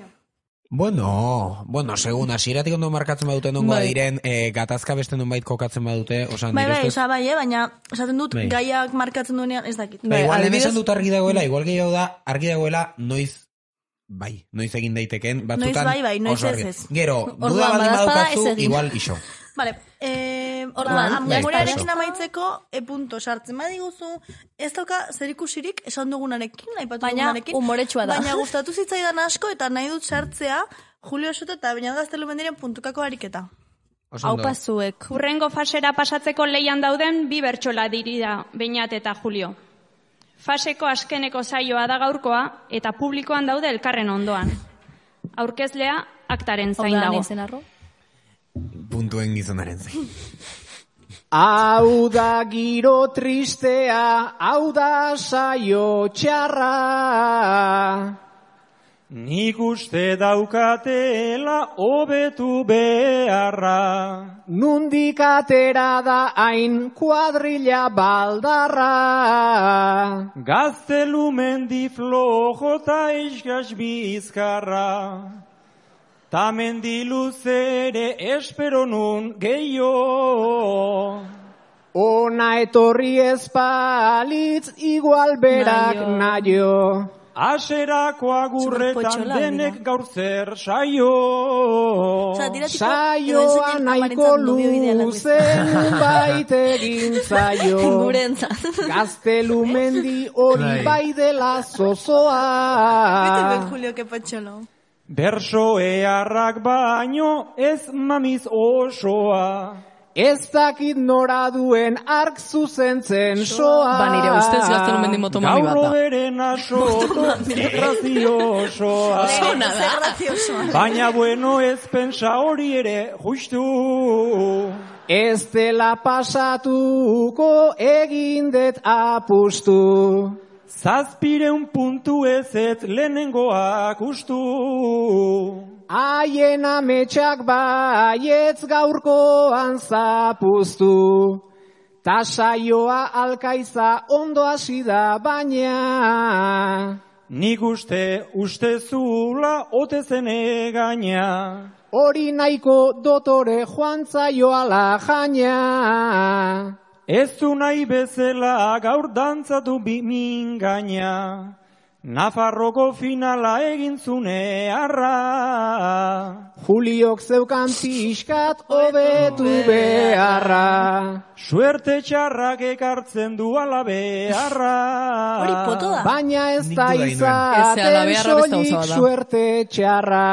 Bueno, bueno, segun, hasieratik ondo markatzen badute nongo bai. Diren, e, gatazka beste nonbait kokatzen badute, osan, bai, bai, oza, bai, eh, baina, esaten dut, bai. Gaiak markatzen duenean, ez dakit. Bai, igual, lehen esan dut argi dagoela, igual gehiago da, argi dagoela, noiz, bai, noiz egin daiteken, batzutan, noiz bai, bai, noiz ez ez. Gero, duda baldin badaukazu, igual iso. Vale, eh, orduan, amorearekin amaitzeko, e punto, sartzen badiguzu, ez dauka zerikusirik esan dugunarekin, aipatu dugunarekin. Baina, umoretsua da. Baina gustatu zitzaidan asko, eta nahi dut sartzea, Julio Soto eta Beñat Gaztelu Mendiren puntukako ariketa. Hau pazuek. Hurrengo fasera pasatzeko leian dauden bi bertsola dirida Beñat eta Julio. Faseko askeneko saioa da gaurkoa, eta publikoan daude elkarren ondoan. Aurkezlea aktaren zain dago. Puntuen gizonaren zain. Hau da giro tristea, hau da saio txarra. Nik uste daukatela hobetu beharra. Nundik atera da hain kuadrilla baldarra. Gaztelu mendi flojo ta iskas bizkarra. Ta mendi luzere espero nun gehiago. Ona etorri ezpalitz igual berak naio. Aserako agurretan denek gaur zer saio. Saioa nahiko luzen bait egin zaio. Gaztelu mendi hori bai dela zozoa. Bete ben, Julio, que patxolo. Berso eharrak baino ez mamiz osoa. Ez dakit nora duen ark zuzentzen soa. Ba, nire ustez Gaztelu mendi motomami bat da. Gaurro beren asoto, graziosoa. Baina bueno ez pensa hori ere justu. Ez dela pasatuko egindet apustu. Zazpireun puntu ez ez lehenengoak ustu. Haien ametsak baietz gaurkoan zapuztu. Ta saioa alkaiza ondo hasi da baina. Nik uste uste zula ote zene gaina. Hori nahiko dotore joan zaioala jaina. Ez du nahi bezala gaur dantzatu bimin gaina. Nafarroko finala egin zune arra. Juliok zeukan pixkat hobetu beharra. Suerte txarrak ekartzen du ala beharra. Hori poto da. Baina ez da izaten soilik suerte txarra.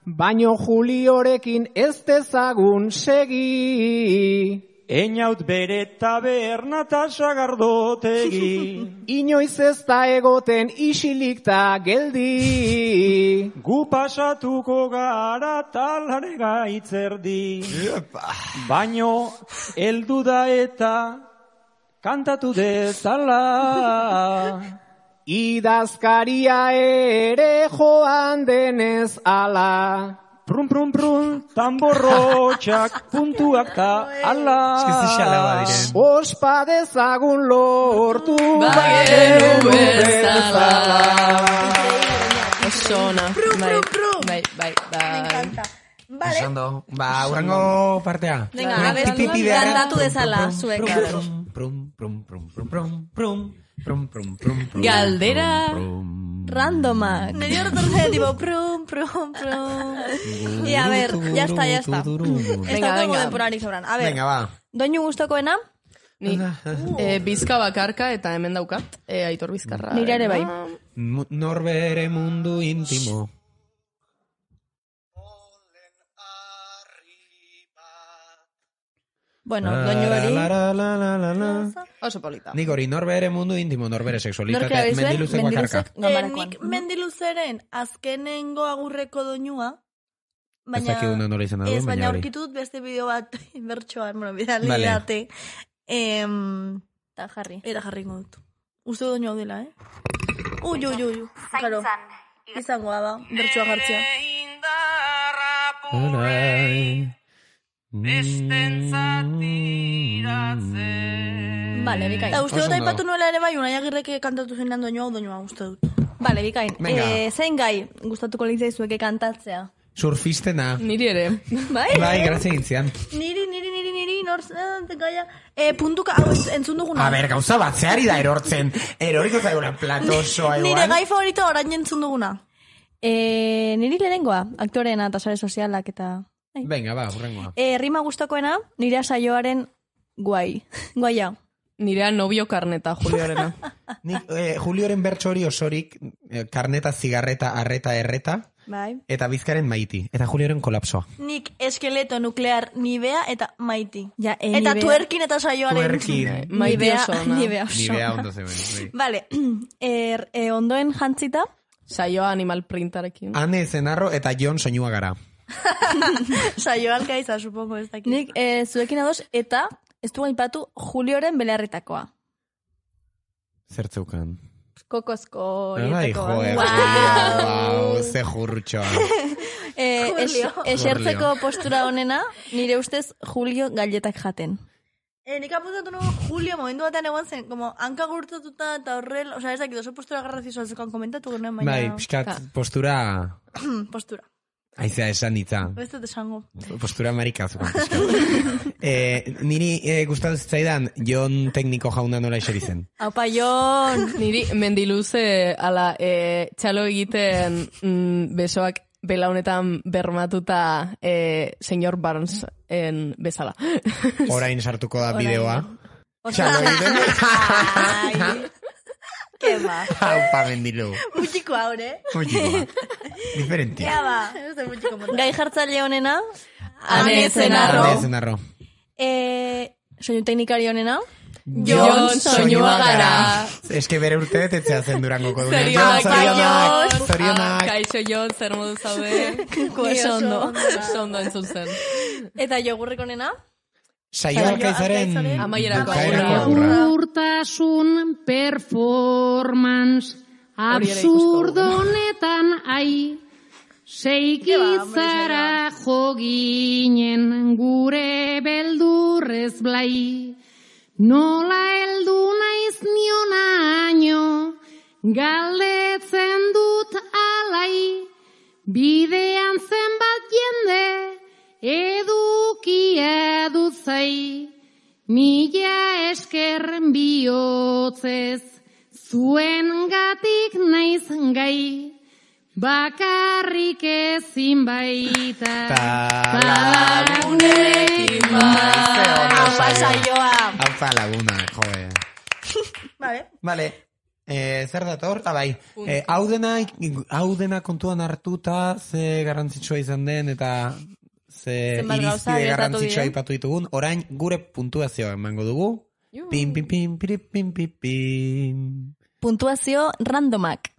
Baino Juliorekin ez dezagun segi. Einaut bere taberna ta sagardotegi. Inoiz ez da egoten isilik ta geldi. Gu pasatuko gara talare gaitzerdi. Baino, eldu da eta kantatu dezala. Idazkaria ere joan denez ala. Prun, prun, prun, tamborrotxak, puntuak ta ala. Ospa dezagun lortu bagenu bezala. Oso ona. Bai, bai, bai, bai. Vale. Osondo. Ba, urrango partea. Venga, a ver, kantatu dezala, zuek. Prum, prum, prum, prum, prum, prum, prum, prum, prum, prum. Galdera randomak. Neri horretorzen, tipo, prum, prum, prum. Y a ver, ya está, ya está. Está todo denporarik sobran. A ver, Venga, va. Doinu gustokoena? Ni eh, bizka bakarka eta hemen daukat, eh, Aitor Bizkarra. Nire ere bai. Mu- Norbere mundu intimo. Bueno, doinu hori. La, la, la, la, la, la. Oso polita. Nik hori norbere mundu intimo, norbere Nork sexualitate, erabili zuen? mendiluzek bakarka. Mendiluzek? Eh, nik mendiluzeren azkenengo agurreko doinua, Ez baina... dakiguna nola izan da Ez, duen, baina baina hori. aurkitu dut beste bideo bat bertsoan, bueno, bidali Vale. date. Em, Eta jarri. Eta jarri dut. Uste doinu hau dela, eh? Ui, ui, ui, ui. Claro, izangoa da, bertsoa jartzea. Arai. Vale, bikain. Eta uste dut Oso ondo. aipatu nuela ere bai, Unai Agirrek kantatu zenean doinu hau doinu hau uste dut. Vale, bikain. Venga. Eh, zein gai gustatuko litzaizueke kantatzea? Surfistena. Niri ere. Bai? Bai, grazia gintzian. Niri, niri, niri, niri, nortzen, gaia. Eh, puntuka, hau entz- entzun duguna. A ber, gauza bat, zeari da erortzen. Eroriko zaiguna platosoa Nire igual. gai favorito orain entzun duguna. Eh, niri lehenengoa, aktoreena eta sare sozialak eta... Venga, ba, hurrengoa. Eh, rima gustokoena, nire saioaren guai. Guaia. Nirea novio karneta, Juliorena. Nik, eh, Julioren bertso hori osorik, eh, karneta, zigarreta, arreta, erreta, Bai. eta bizkaren maiti. Eta Julioren kolapsoa. Nik eskeleto nuklear nibea eta maiti. Ja, eh, Eta nibea- tuerkin eta saioaren. Tuerkin. Maite Nibea- oso ona. nibea oso. Nibea ondo zegoen. bai. Vale, er, eh, ondoen jantzita, Saioa animal printarekin. Ane Zenarro eta Jon soinua gara. Saio alkaiza, supongo, ez dakit. nik eh, zuekin ados, eta ez du gaipatu Julioren belarritakoa. Zertzeukan. Kokozko Bai, horietako. joe, Wow. Julio, ze jurtxoa. Eh, es, Julio. esertzeko postura honena, nire ustez Julio galletak jaten. Eh, nik apuntatu nugu Julio momentu batean egon zen, como hanka gurtatuta eta horrel, o sea, ez dakit oso postura garrazioa zekan komentatu genuen, baina... Bai, pixkat, postura... postura. Aizea esan ditza. Ez dut esango. Postura marikazukan. pixkat. eh, niri eh, gustatu zitzaidan Jon tekniko jauna nola eseri zen. Aupa, Jon! Niri mendiluze ala e, txalo egiten mm, besoak belaunetan bermatuta e, señor Barnes en bezala. Orain sartuko da Orain. bideoa. Osea, Txalo egiten. Ai, ke ba. Aupa mendilu. Mutxiko haure. Mutxikoa. Diferentia. Ea ba. Ez da mutxiko mota. gai jartzaile honena, Ane Zenarro. Ane Zenarro. eh, soinu teknikari honena, Jon soinua gara. Eske bere urte betetzea zen Durangoko egunean. Zorionak, Jon, zorionak, Jon. zorionak. Ah, kaixo Jon, zer modu zaude? oso ondo. Oso ondo entzun zen. Eta jogurrek honena, Saio alkaizaren Amaierako bukaerako agurra. agurra. Urtasun performance Hori ere ikusko dugu. absurdonetan ai seikitzara joginen gure beldurrez blai nola heldu naiz nionaino galdetzen dut alai bidean zenbat jende edukia dut zai mila esker bihotzez zuen gatik naiz gai bakarrik ezin baita Talagunekin Aupa saioa. Aupa laguna, joe. Vale. Vale. Eh, zer dator? Ah, bai. Eh, hau dena, hau dena kontuan hartuta ze garrantzitsua izan den eta ze Zenbat gauza irizpide gertatu garrantzitsua diren. aipatu ditugun. Orain gure puntuazioa emango dugu. Pim, pim, pim, pim, pim, pim, pim. puntuazio randomak.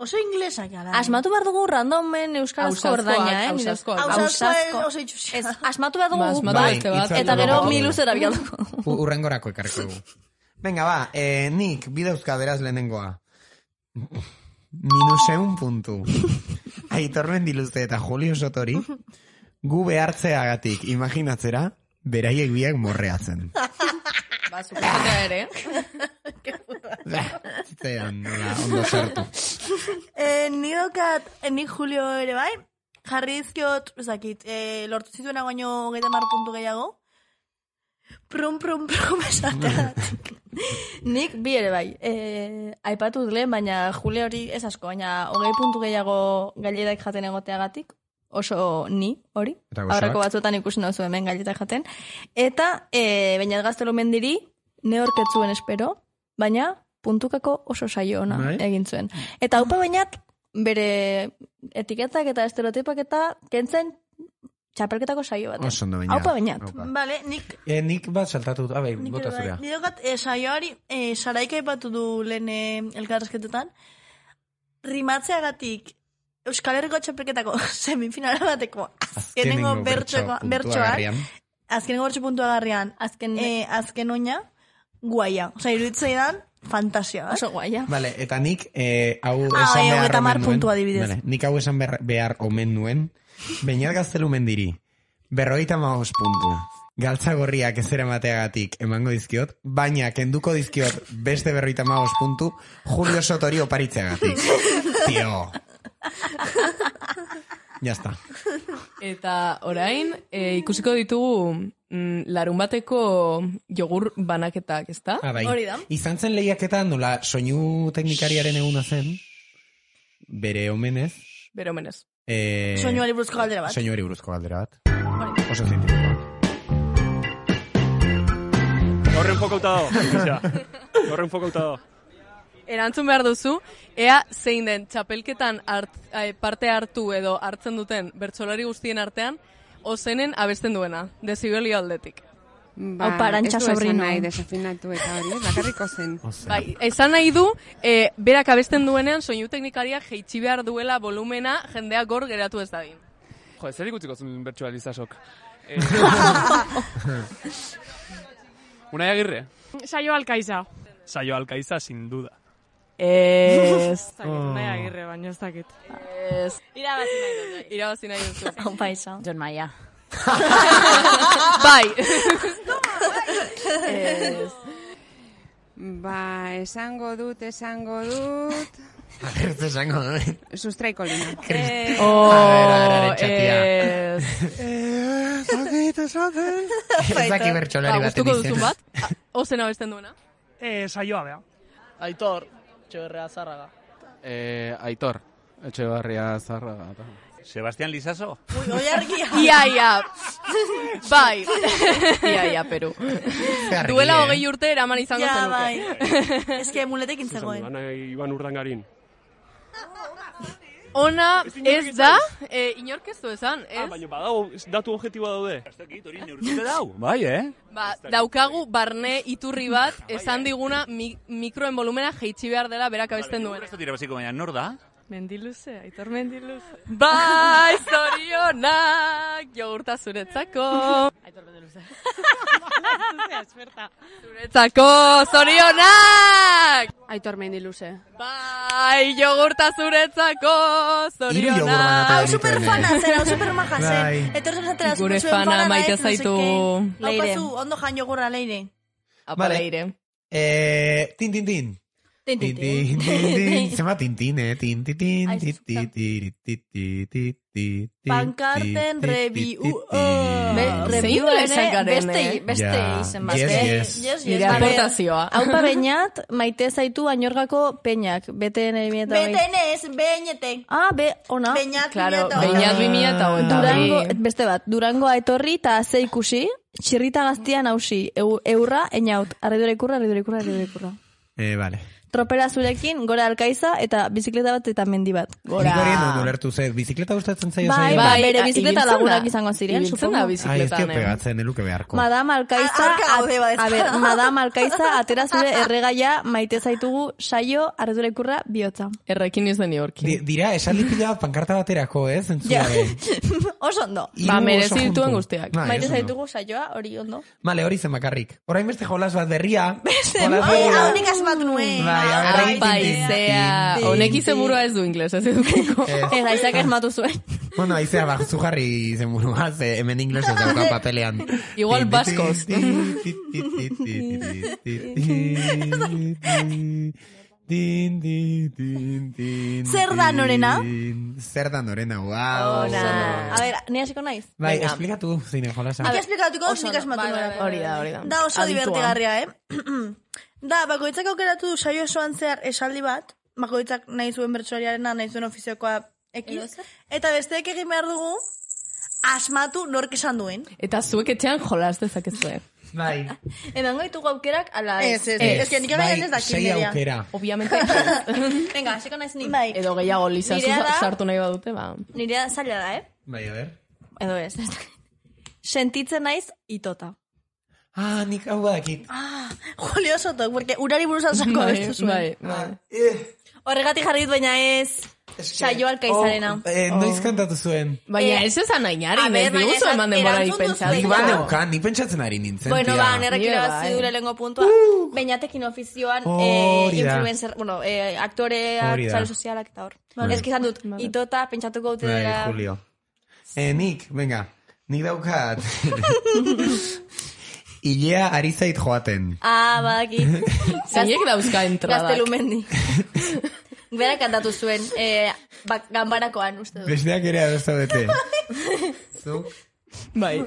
Oso inglesak gara. Asmatu behar dugu randomen euskarazko Ausazkoak, ordaina, eh? ausazkoak. Ausazkoa oso itxusia. Ez, asmatu behar dugu Ba, asmatu bat, beste bat. Bai, eta gero itzaldu mi dugu. luzera bialduko. U- Urrengorako ekarriko dugu. Venga, ba, eh, nik bidauzka beraz lehenengoa. Minuseun puntu. Aitor Mendiluzte eta Julio Sotori gu behartzeagatik imaginatzera beraiek biak morreatzen. Ba, suposatea ere. Zitzean, nola, ondo sartu. Eh, ni dokat, eh, ni Julio ere bai, jarri dizkiot, ezakit, eh, lortu zituena baino hogeita hamar puntu gehiago. Prum, prum, prum, esatea. Nik bi ere bai. E, aipatu dut lehen, baina Julio hori ez asko, baina hogei puntu gehiago gailetak jaten egoteagatik, oso ni hori. Aurreko batzuetan ikusi nauzu hemen gailetak jaten. Eta, e, baina Gaztelu Mendiri, neorketzuen espero, baina puntukako oso saio ona Bai. egin zuen. Eta haupa bainat, bere etiketak eta estereotipak eta kentzen txapelketako saio bat. Oso ondo baina. Haupa bainat. Vale, nik Eh, nik bat saltatu, abe, Nik bota ere bai. zurea. Ni dokat, eh, saioari, eh, Saraika aipatu du lehen eh, elkarrezketetan, rimatzeagatik Euskal Herriko txapelketako semifinala bateko azkenengo bertsoa, bertsoak, azkenengo bertso puntuagarrian, azken, eh, azken oina, guaia. Osa, iruditzeidan, fantasia. Oso guaia. Vale, eta nik eh, hau Ah, esan bai, behar hogeita hamar omen nuen. puntu adibidez. Vale, nik hau esan behar, behar omen nuen. Beñat Gaztelu Mendiri, berrogeita hamabost puntu. Galtza gorriak ez eramateagatik emango dizkiot, baina kenduko dizkiot beste berrogeita hamabost puntu Julio Sotori oparitzeagatik. Tio. Ya está. Eta orain, e, ikusiko ditugu mm, larun bateko jogur banaketak, ezta? Ah, bai. Izan zen lehiaketa nola soinu teknikariaren eguna zen, bere omenez. Bere omenez. Eh, Soinuari buruzko galdera bat. Soinuari buruzko galdera bat. Oso zientifikoa. Horren fokauta dago. Horren fokauta dago. Erantzun behar duzu, ea zein den txapelketan hart, eh, parte hartu edo hartzen duten bertsolari guztien artean, ozenen abesten duena, dezibelio aldetik. Ba, Aupa, Arantxa ez du esan sobrino. nahi desafinatu eta hori, bakarriko zen. Bai, esan nahi du, e, berak abesten duenean soinu teknikariak jeitsi behar duela volumena jendea gor geratu ez dadin. Jo, zer ikutziko zuen bertsoa Lizasok. Eh, Unai Agirre. Saio Alkaiza. Saio Alkaiza, sin duda. Ez. Unai Agirre, baina ez dakit. Ez. Irabazi nahi dut. Irabazi nahi duzu. Aupa izan. John Maia. Bai. Ez. Ba, esango dut, esango dut... A ver, ez esango dut. Sustraiko lina. Eh. Oh, A ver, a ver, arentxatia. ez. Eh, zakit, esaten. Ez daki bertsolari Ba, baten gustuko izena. duzun bat? Ozen abesten duena? Eh, saioa, bea. Aitor, Etxeberria Zarraga. Eh, Aitor, Etxebarria Zarraga. Sebastián Lizaso? Ui, oi argia. Ia, ia. Bai. Ia, ia, Peru. Duela hogei urte eraman izango Ja, zenuke. bai. Ez que muletekin zegoen. Ana Iban Urdangarin. Ona ez da, eh, inork ez du esan, ez? Ah, baina badago, datu objektiboa daude. Ez dakit, hori neurtute dau. Bai, eh? Ba, daukagu barne iturri bat esan diguna mi, mikroen volumena jeitsi behar dela berak abesten duen. Ez dut irabaziko, baina nor da? Mendiluze, Aitor Mendiluze. Bai, zorionak, jogurta zuretzako. Aitor Mendiluze. Zuretzako, zorionak! Aitor Mendiluze. Bai, jogurta zuretzako, zorionak. Hau superfana zen, hau supermaja zen. Bai. Etorzen zatera Gure zuen fana fana maite naiz, no sé zaitu. qué. Leire. Haupazu, ondo jan jogurra, Leire. Apa, Vale. Leire. Eh, tin, tin, tin. Tin, Tin, tin, tin, tin, tin. Zema tin, tin, eh? Tin, tin, tin, Ai, ti, ti, ti, ti, ti, ti, ti, ti, Pankarten ti, ti, review. ti, ti. Be, Zein review lezak ere garen, beste, eh? beste Ja, izen bat. yes, eh? yes. Yes, Nire yes, aportazioa. Haupa bainat, maite zaitu añorgako peñak. Bete nire Betenez, beñete. Ah, be, ona. Beñat, Claro, bineto. beinat bi mila eta hogeita Durango, bi. beste bat, Durango etorri eta ze ikusi, txirrita gaztian hausi, eu, eurra, einaut, arridura ikurra, arridura ikurra, arridura ikurra. Eh, vale. Tropela zurekin, gora alkaiza, eta bizikleta bat eta mendi bat. Nik horien dut ulertu ze, bizikleta gustatzen zaio Bai, zaio? bai, bere bizikleta lagunak izango ziren, Ibiltzen da supongo. Ai, ez bizikletan, dio pegatzen, eluke beharko. Madame Alkaiza, Arka gaude bat ez a, da. ber, Madame Alkaiza, atera zure erregaia, maite zaitugu saio, ardura ikurra, bihotza. Errekin ez den Yorkin. Di, dira, esaldi pila bat pankarta baterako, eh, zentzu Ja. gabe. Oso ondo. Hiru Ba, oso merezi juntu. dituen guztiak. Bai, Maite oso ondo. zaitugu saioa, hori ondo. Vale, hori zen bakarrik. Orain beste jolas bat berria. Beste, jolas bai, berria. Hau nik asmatu nuen. Bai, a ver, Ai, paizea. Honek izenburua ez du ingles, ez edukiko. Ez, aizak esmatu zuen. Bueno, aizea, ba, zu jarri izenburua, ze hemen inglesez dauka papelean. Igual baskoz. Din, din, din, din, Zer da norena? Zer da norena, guau. A ber, ni hasiko naiz? Bai, Venga. esplikatu zine jolasa. Nik esplikatuko, Oso nik ondo. asmatu Bai, bai, nuen. bai, Hori da, hori da. Da oso Aditua. divertigarria, eh? Da, bakoitzak aukeratu du saio osoan zehar esaldi bat, bakoitzak nahi zuen bertsolariarena, nahi zuen ofiziokoa ekiz, eta besteek egin behar dugu asmatu nork esan duen. Eta zuek etxean jolas dezakezue. Bai. Emango ditugu aukerak, ala Ez, ez, ez, ez, nik orain ez dakit sei nirea. aukera. Obviamente. Venga, hasiko naiz ni. Bai, Edo gehiago lizazu Nirea da- sartu nahi badute, ba. Nirea zaila da, eh? Bai, a ver. Edo ez. Sentitzen naiz itota. Ah, nik hau badakit. Ah, Julio Soto, porque urari buruz alzako Bai, abestu zuen. bai, bai. Horregatik jarri dut, baina ez saio alkaizarena. Oh, eh, noiz kantatu zuen. Baina Eh, ez esan a nainari, ber, ez baina diguzu esan- eman denborarik erantzun duzu pentsatzen. Nik ba neukan, nik pentsatzen ari nintzen, Bueno, tia. ba, nerrek Nire irabazi bai. du lehenengo puntua. Beñatekin ofizioan eh, Hori da. influencer, bueno, eh, aktoreak, Hori da. sare sozialak eta hor. Vale. Ez izan dut, itota, pentsatuko dute Bai, dela. Julio. Eh, nik, venga, nik daukat. Ilea ari zait joaten. Ah, badakit. Zeinek dauzka entradak. Gaztelumendi. Bera kantatu zuen, eh, bak, ganbarakoan, uste dut. Besteak ere adosta bete. Zuk? Bai.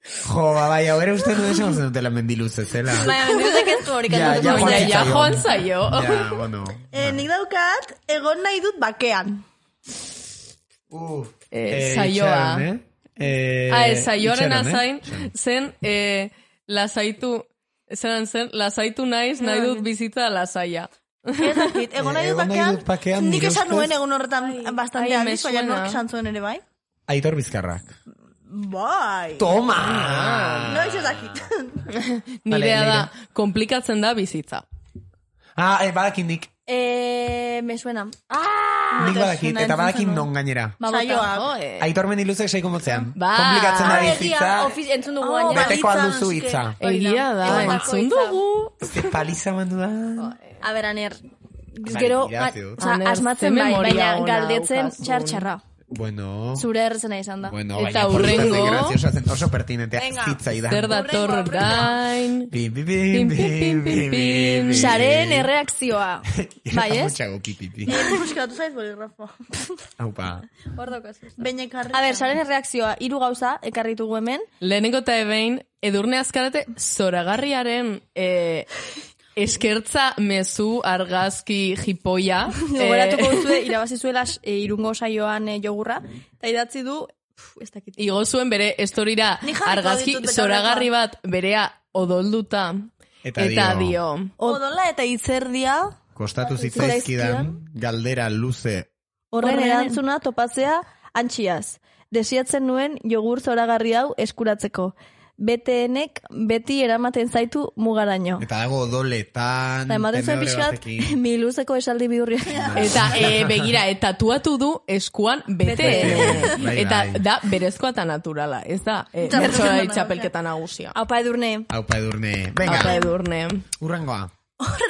Jo, ba, bai, hau ere uste nuen esan zen dutela mendiluz zela. Baina, mendiluzek ez du hori Ja, kantatu ja, zuen. Baina, ja, zitzaion. joan zaio. Ja, bueno. Eh, nik daukat, egon nahi dut bakean. Uh, Eh, saioa. itxaron, eh? Eh, Ah, ez, saioaren itxaron, eh? azain, zen, eh, lasaitu, zeran zen, lasaitu naiz, nahi dut bizitza lasaia. Ez dakit, egon nahi dut Egon nahi bakean, dut bakean, nik nire esan ustez- nuen egun horretan bastante ai, aldiz, me baina suena. nork esan zuen ere bai. Aitor Bizkarrak. Bai. Toma! Noiz ez dakit. Nirea Vale, da, komplikatzen da bizitza. Ah, eh, badakin nik. Eh, me suena. Ah! Nik badakit, suena, eta entzun badakin zenuen. non gainera. Ba, bota. Saioak. Jo, eh. Aitor mendiluzek seiko motzean. Ba. Komplikatzen da Ah, egia, bizitza, ofiz, entzun dugu Oh, gainera. beteko balitza, alduzu eske. hitza. Egia da, Egotako entzun hitza. dugu. Ze paliza mandu da. A ber, aner, Bai, gero, irazi ga- dut. oza, Aner, asmatzen ze bai, memoria baina ona galdetzen daukazun. txar-txarra. Bueno. Zure errezena izan da. Bueno, Eta baina por suerte hurrengo- graciosa zen, oso pertinentea Venga. zitzaidan. Zer dator orain. Bim, bim, Pim, bim, pim, pim, bim, pim, bim, pim. bim. Saren erreakzioa. Bai, ez? Mutxago pipipi. Buscatu zaiz boligrafo. Aupa. Hor daukaz. Beñek jarri. A ber, saren erreakzioa, hiru gauza, ekarritugu hemen. Lehenengo eta ebein, edurne azkarate zoragarriaren eh, eskertza mezu argazki jipoia. Gogoratuko duzue, irabazi zuela e, irungo saioan e, jogurra. Eta idatzi du, pf, ez dakit. Igo zuen bere estorira Ni jarriko argazki ditut betaurrekoa. zoragarri bat berea odolduta. Eta Eta dio. dio. Odola eta itzerdia. Kostatu zitzaizkidan, galdera luze. Horren Horren. erantzuna topatzea antxiaz. Desiatzen nuen jogur zoragarri hau eskuratzeko. B T Nek beti eramaten zaitu mugaraino. Eta dago odoletan, Eta ematen zuen tenedore pixkat, batekin. miluzeko esaldi bidurriak. Eta e, begira, eta tatuatu du eskuan bete. Bete. Bai, Eta bai. da berezkoa eta naturala. Ez da, e, Txapelketa bertsolari naturala. txapelketa nagusia. Aupa edurne. Aupa edurne. Venga, Aupa edurne. urrengoa.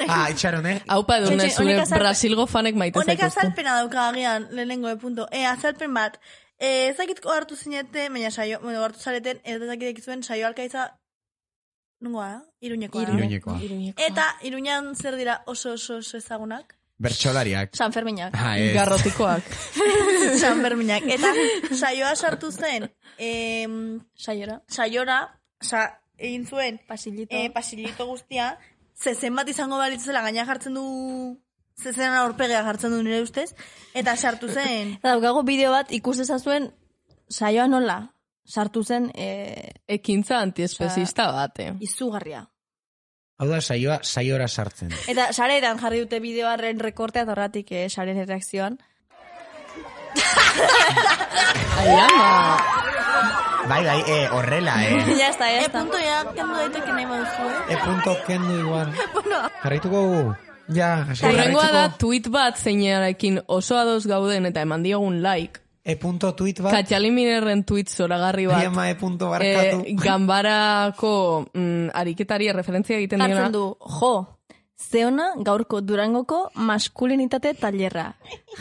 Ah, itxaron, eh? Aupa edurne, Txotxe, zure honek azalpe- Brasilgo fanek maite Honek zaituzte. azalpena dauka agian, lehenengo de punto. E, azalpen bat. E, ez dakit hartu zinete, baina saio, bueno, hartu zareten, ez dakit zuen saio alkaitza, nungoa, da? Iruñekoa. da. Iruñekoa. Eta Iruñan zer dira oso oso oso ezagunak? Bertsolariak. San Ferminak. Ah, ez. Garrotikoak. San Berminak. Eta saioa sartu zen, em, Saiora. saiora, sa, egin zuen, Pasilito. e, pasilito guztia, zezen bat izango balitzela gaina jartzen du, zezenan aurpegea jartzen du nire ustez, eta sartu zen, Eta daukago bideo bat ikus dezazuen saioa nola. Sartu zen e, Ekintza antiespezista bate. izugarria. Hau da, saioa saiora sartzen. Eta saretan jarri dute bideoaren rekortea, eta horratik eh, saren reakzioan. Ai, ama. Bai, bai, eh, horrela, eh. Ya está, ya está. E punto ya, kendu daiteke nahi baduzu, eh? E punto kendu igual. Bueno. Jarraituko gu. Ja, hasi Horrengoa da tweet bat zeinarekin oso ados gauden eta eman diogun like. E punto tweet bat. Katxaliminerren tweet zoragarri bat. Iama e punto barkatu. Eh, gambarako mm, ariketari referentzia egiten diona. Jartzen du, jo, zeona gaurko Durangoko maskulinitate tailerra.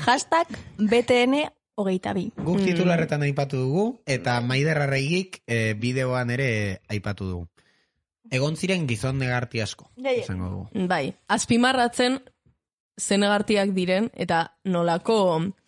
Hashtag B T N hogeita bi. Guk titularretan aipatu dugu, eta Maider Arraigik eh, bideoan ere aipatu dugu. Egon ziren gizon negarti asko, izango dugu. Bai, azpimarratzen zenegartiak diren, eta nolako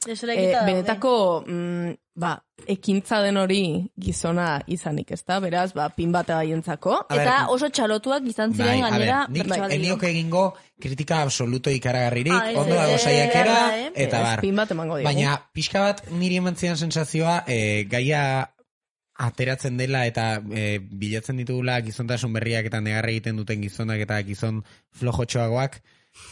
eh, benetako mm, ba, ekintza den hori gizona izanik, ezta? Beraz, ba, pin bat haientzako. Eta oso txalotuak izan ziren bai, gainera. Nik enioke egingo kritika absoluto ikaragarririk, ah, ondo dago saiakera, eh, eta bar. Pin bat emango digu. Baina, pixka bat niri emantzian sensazioa, eh, gaia ateratzen dela eta e, bilatzen ditugula gizontasun berriak eta negarra egiten duten gizonak eta gizon flojotxoagoak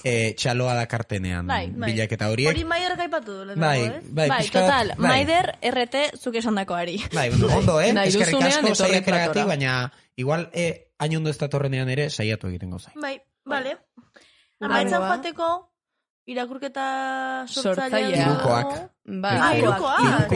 e, txaloa dakartenean bai, bilaketa horiek. Hori Maider gaipatu du. Bai, bai, bai, total, bai. Maider R T zuk esandakoari. Bai, bueno, ondo, eh? Eskerrik asko saiakeragatik, baina igual e, hain ondo ez datorrenean ere saiatu egiten gozain. Bai, bale. Amaitzan joateko irakurketa sortzailea. Irukoak. Bai, irukoak.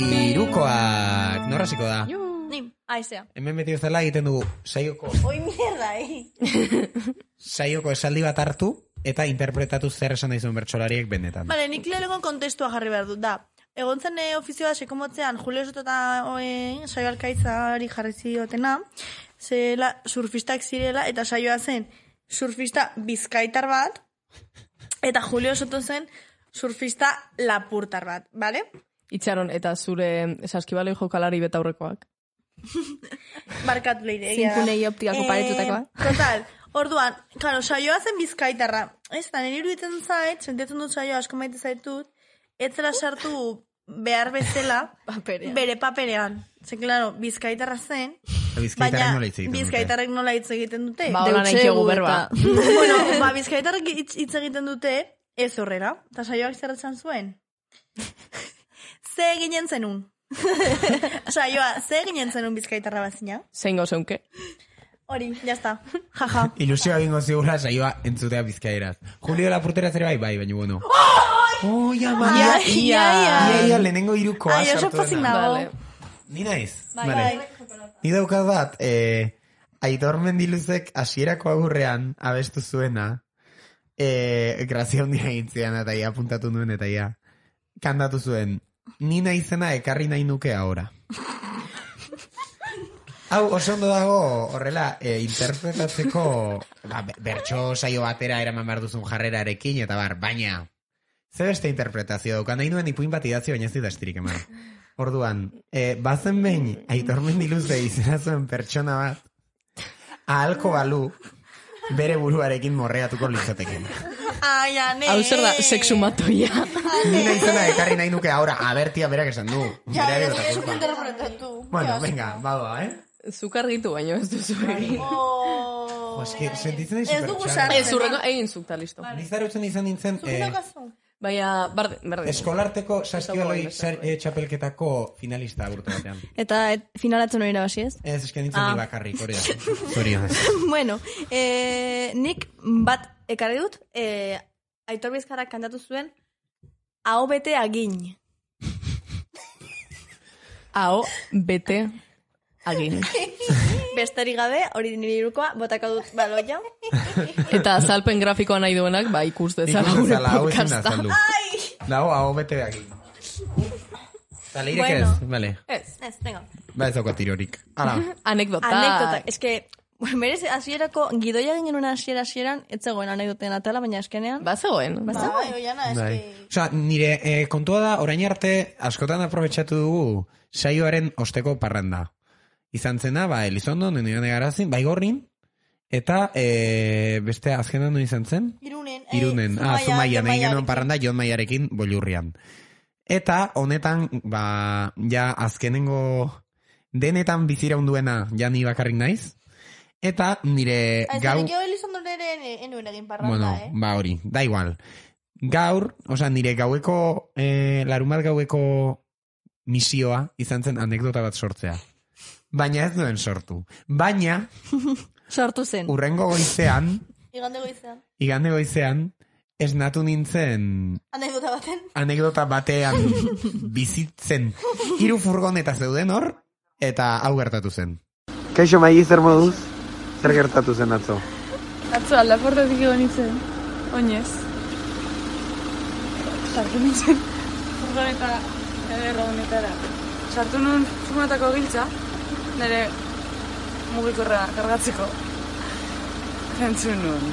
Irukoak. Norraziko da? Ni, aizea. Hemen beti bezala egiten dugu saioko. Oi, mierda, eh. Saioko esaldi bat hartu eta interpretatu zer esan daizun bertsolariek benetan. Vale, nik lehenengo kontestua jarri behar dut, da. Egon zen ofizioa sekomotzean Julio Soto eta saio alkaitzari jarri ziotena, zela surfistak zirela eta saioa zen surfista bizkaitar bat, eta Julio Soto zen surfista lapurtar bat, bale? Itxaron, eta zure saskibaloi jokalari betaurrekoak. Barkatu leire. Zinkunei optikako eh, paretutakoa. Total, orduan, claro, saioa zen bizkaitarra. Ez da, nire iruditzen zait, sentitzen dut saioa asko maite zaitut, ez zela sartu behar bezala paperean. Bere paperean. Zen, claro, bizkaitarra zen, Bizkaitarrek nola hitz egiten dute. bizkaitarrek nola hitz egiten dute. Ba, hola nahi txegu berba. Bueno, ba, bizkaitarrek hitz hitz egiten dute, ez horrela. Eta saioak zerretzen zuen. Ze ginen zenun. Saioa, ze ginen zenun bizkaitarra bazina? Zein gozeunke. Hori, jazta. Jaja. Ilusioa bingo zigula saioa entzutea bizkaieraz. Julio Lapurtera zere bai, bai, baina bueno. Oh, ya, Ia, ia, ia. Ia, lehenengo irukoa Ai, oso pozik nago. Ni naiz? Bai, Vale. bai. Ni daukat bat, eh, Aitor Mendiluzek hasierako agurrean abestu zuena, eh, grazia hondia egintzean eta ia apuntatu nuen eta ia kantatu zuen, ni naizena ekarri nahi nuke ahora. Hau, oso ondo dago, horrela, e, interpretatzeko ba, bertso saio batera eraman behar duzun jarrerarekin, eta bar, baina, ze beste interpretazio dauka, nahi nuen ipuin bat idatzi, baina ez dut astirik eman. Orduan, e, bazen behin, Aitor Mendiluze izena zuen pertsona bat, ahalko balu, bere buruarekin morreatuko litzateken. Ai, ane. Hau zer da, sexumatoia. Ni nahi zena ekarri nahi nuke, ahora, abertia berak esan du. Ja, Bereari ez bota esku kulpa. interpretatu. Bueno, venga, badoa, eh? Zuk argitu baino ez duzu egin. Jo, eski, sentitzen nahi Ez dugu supertxarra. sartzen. Ez, urrengo, egin zuk, ta listo. Nizarutzen izan nintzen, Zuk eh, daukazu? Baina, bardin, bardin. eskolarteko saskibaloi eh, txapelketako finalista urte batean. Eta et, finalatzen hori nabasi ez? Ez, esken nintzen Ah. ni bakarrik, hori da. Zorionez. Bueno, eh, nik bat ekarri dut, eh, Aitor Bizkarrak kantatu zuen, hau bete agin. Hau, bete, agin. Besterik gabe, hori nire irukoa, botaka dut baloia. Eta azalpen grafikoa nahi duenak, ba, ikus dezala Ikus gure dezala, hau ezin da podcasta. azaldu. Dago, hau bete aquí. Eta leirek Bueno. ez, vale. Ez, ez, venga. Ba ez dauka tirorik. Hala. Anekdota. Anekdota, eske, berez, hasierako gidoia ginen una hasiera hasieran, ez zegoen anekdoten atala, baina eskenean. Ba zegoen. Ba Bai, zegoen. oiana, Bai. eski... Osa, nire eh, kontua da, orain arte, askotan aprobetsatu dugu saioaren osteko parranda. Izan zena, ba, Elizondo, nenioan egarazin, baigorrin, eta e, beste azkenan no izan zen? Irunen. Irunen, eh, ah, Zumaia, Zumaia, Jon nahi genuen Maiarekin. parranda Jon Maiarekin bolurrian. Eta honetan, ba, ja azkenengo denetan bizira unduena ja ni bakarrik naiz, Eta nire gau... Aizan, Elizondo nire enuen egin parranda, Bueno, eh? ba hori, da igual. Gaur, oza, nire gaueko, eh, larumat gaueko misioa izan zen anekdota bat sortzea. Baina ez duen sortu. Baina... Sortu zen. Urrengo goizean... Igande goizean. Igande goizean, esnatu nintzen... Anekdota baten. Anekdota batean bizitzen. Hiru furgoneta zeuden hor, eta hau gertatu zen. Kaixo Maigi, zer moduz? Zer gertatu zen atzo? Atzo aldaportatik egon nintzen, oinez. Sartu nintzen, furgoneta, ederra honetara. Sartu nun furgonetako giltza, nire mugikorra kargatzeko. Entzun nun,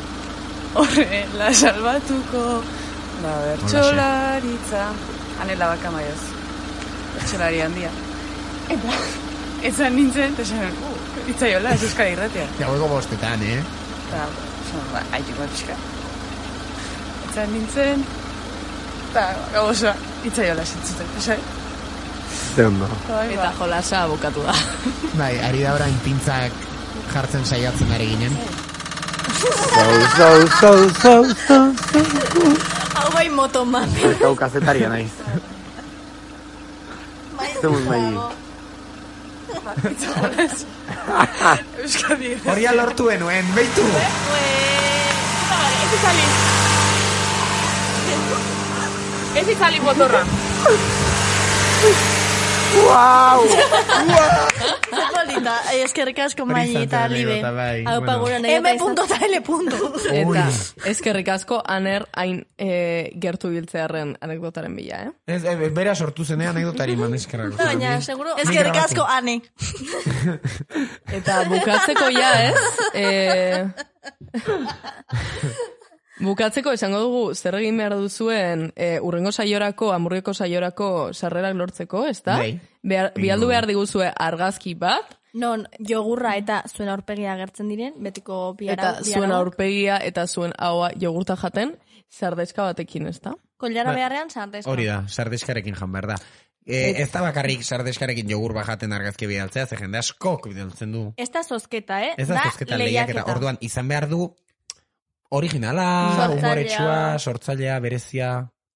horre, la salbatuko, da bertxolaritza, anela baka maioz, bertxolari handia. Eta, ezan nintzen, eta esan, uh, itzaiola, ez euskara irratea. Gaueko bostetan, eh? Eta, esan, ba, haitik bat pixka. Ezan nintzen, eta gauza, itzaiola zintzuten, esan. Ze ondo. Eta jolasa bukatu da. Bai, ari da orain pintzak jartzen saiatzen ari ginen. So, so, so, so, so, so. Hau bai motoman. Hau kazetaria naiz. Zemuz Maigi. Euskadi. Horia lortu enuen, beitu. Ez izali. Ez izali motorra. Wow! Polita, eskerrik asko Maigi eta Libe. Hau pagura M punto eta L punto. Eta eskerrik asko aner hain e, gertu biltzearen anekdotaren bila, eh? Ez, e, bera sortu zenean anekdotari man eskerrak. Baina, seguro, eskerrik asko ane. Eta bukatzeko ja, ez? E... Bukatzeko esango dugu zer egin behar duzuen e, urrengo saiorako, amurrioko saiorako sarrerak lortzeko, ezta? Bai. Behar, bialdu behar diguzue argazki bat. Non, jogurra eta zuen aurpegia agertzen diren, betiko biara. Eta zuen aurpegia eta zuen haua jogurta jaten, sardeska batekin, ezta? Kollara Ba, beharrean, sardeska. Hori da, sardeskarekin jan behar da. E, ez da bakarrik sardeskarekin jogur bajaten argazki bidaltzea, ze jende askok bidaltzen du. Ez da zozketa, eh? Ez da zozketa lehiaketa. Orduan, izan behar du originala, Sortzailea. humoretsua, sortzailea, berezia...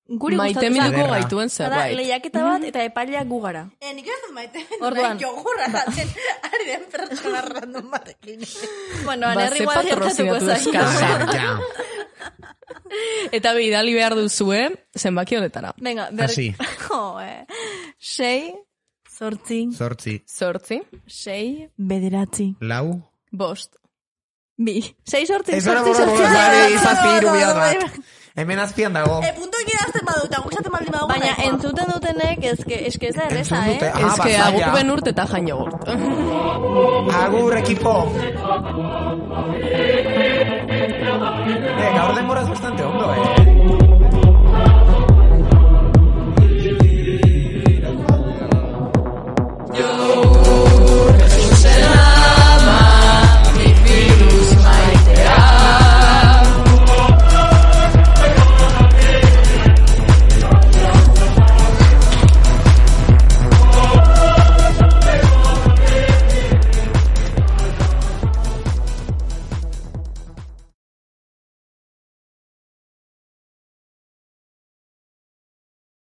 Guri maite minuko gaituen zerbait. Lehiaketa bat eta epaileak gugara. Eh, nik ez dut maite Orduan. jogurra jaten ari den pertsona random batekin. Bueno, Ba, anerri ze igual gertatuko patrozinatu zaio. eskasa. Eta bidali behar duzue, zenbaki honetara. Venga, ber... Hasi. Jo, eh. Sei, zortzi, Zortzi. Zortzi. sei, bederatzi, Lau. Bost. bi. Sei, zortzi, Ez hori zortzi, boro zortzi, boro, zortzi, zazpi hiru zortzi, bihar zortzi. bat. Hemen azpian dago. E, punto ekin azten badu, eta gustatzen baldin badu. Baina entzuten dutenek, ezke, eske ez da erreza, Entzun dute, eh? ah, Ez que bazaia. aguk benurt eta jan jogurt. Agur, ekipo. Eh, gaur denboraz bastante, hombre.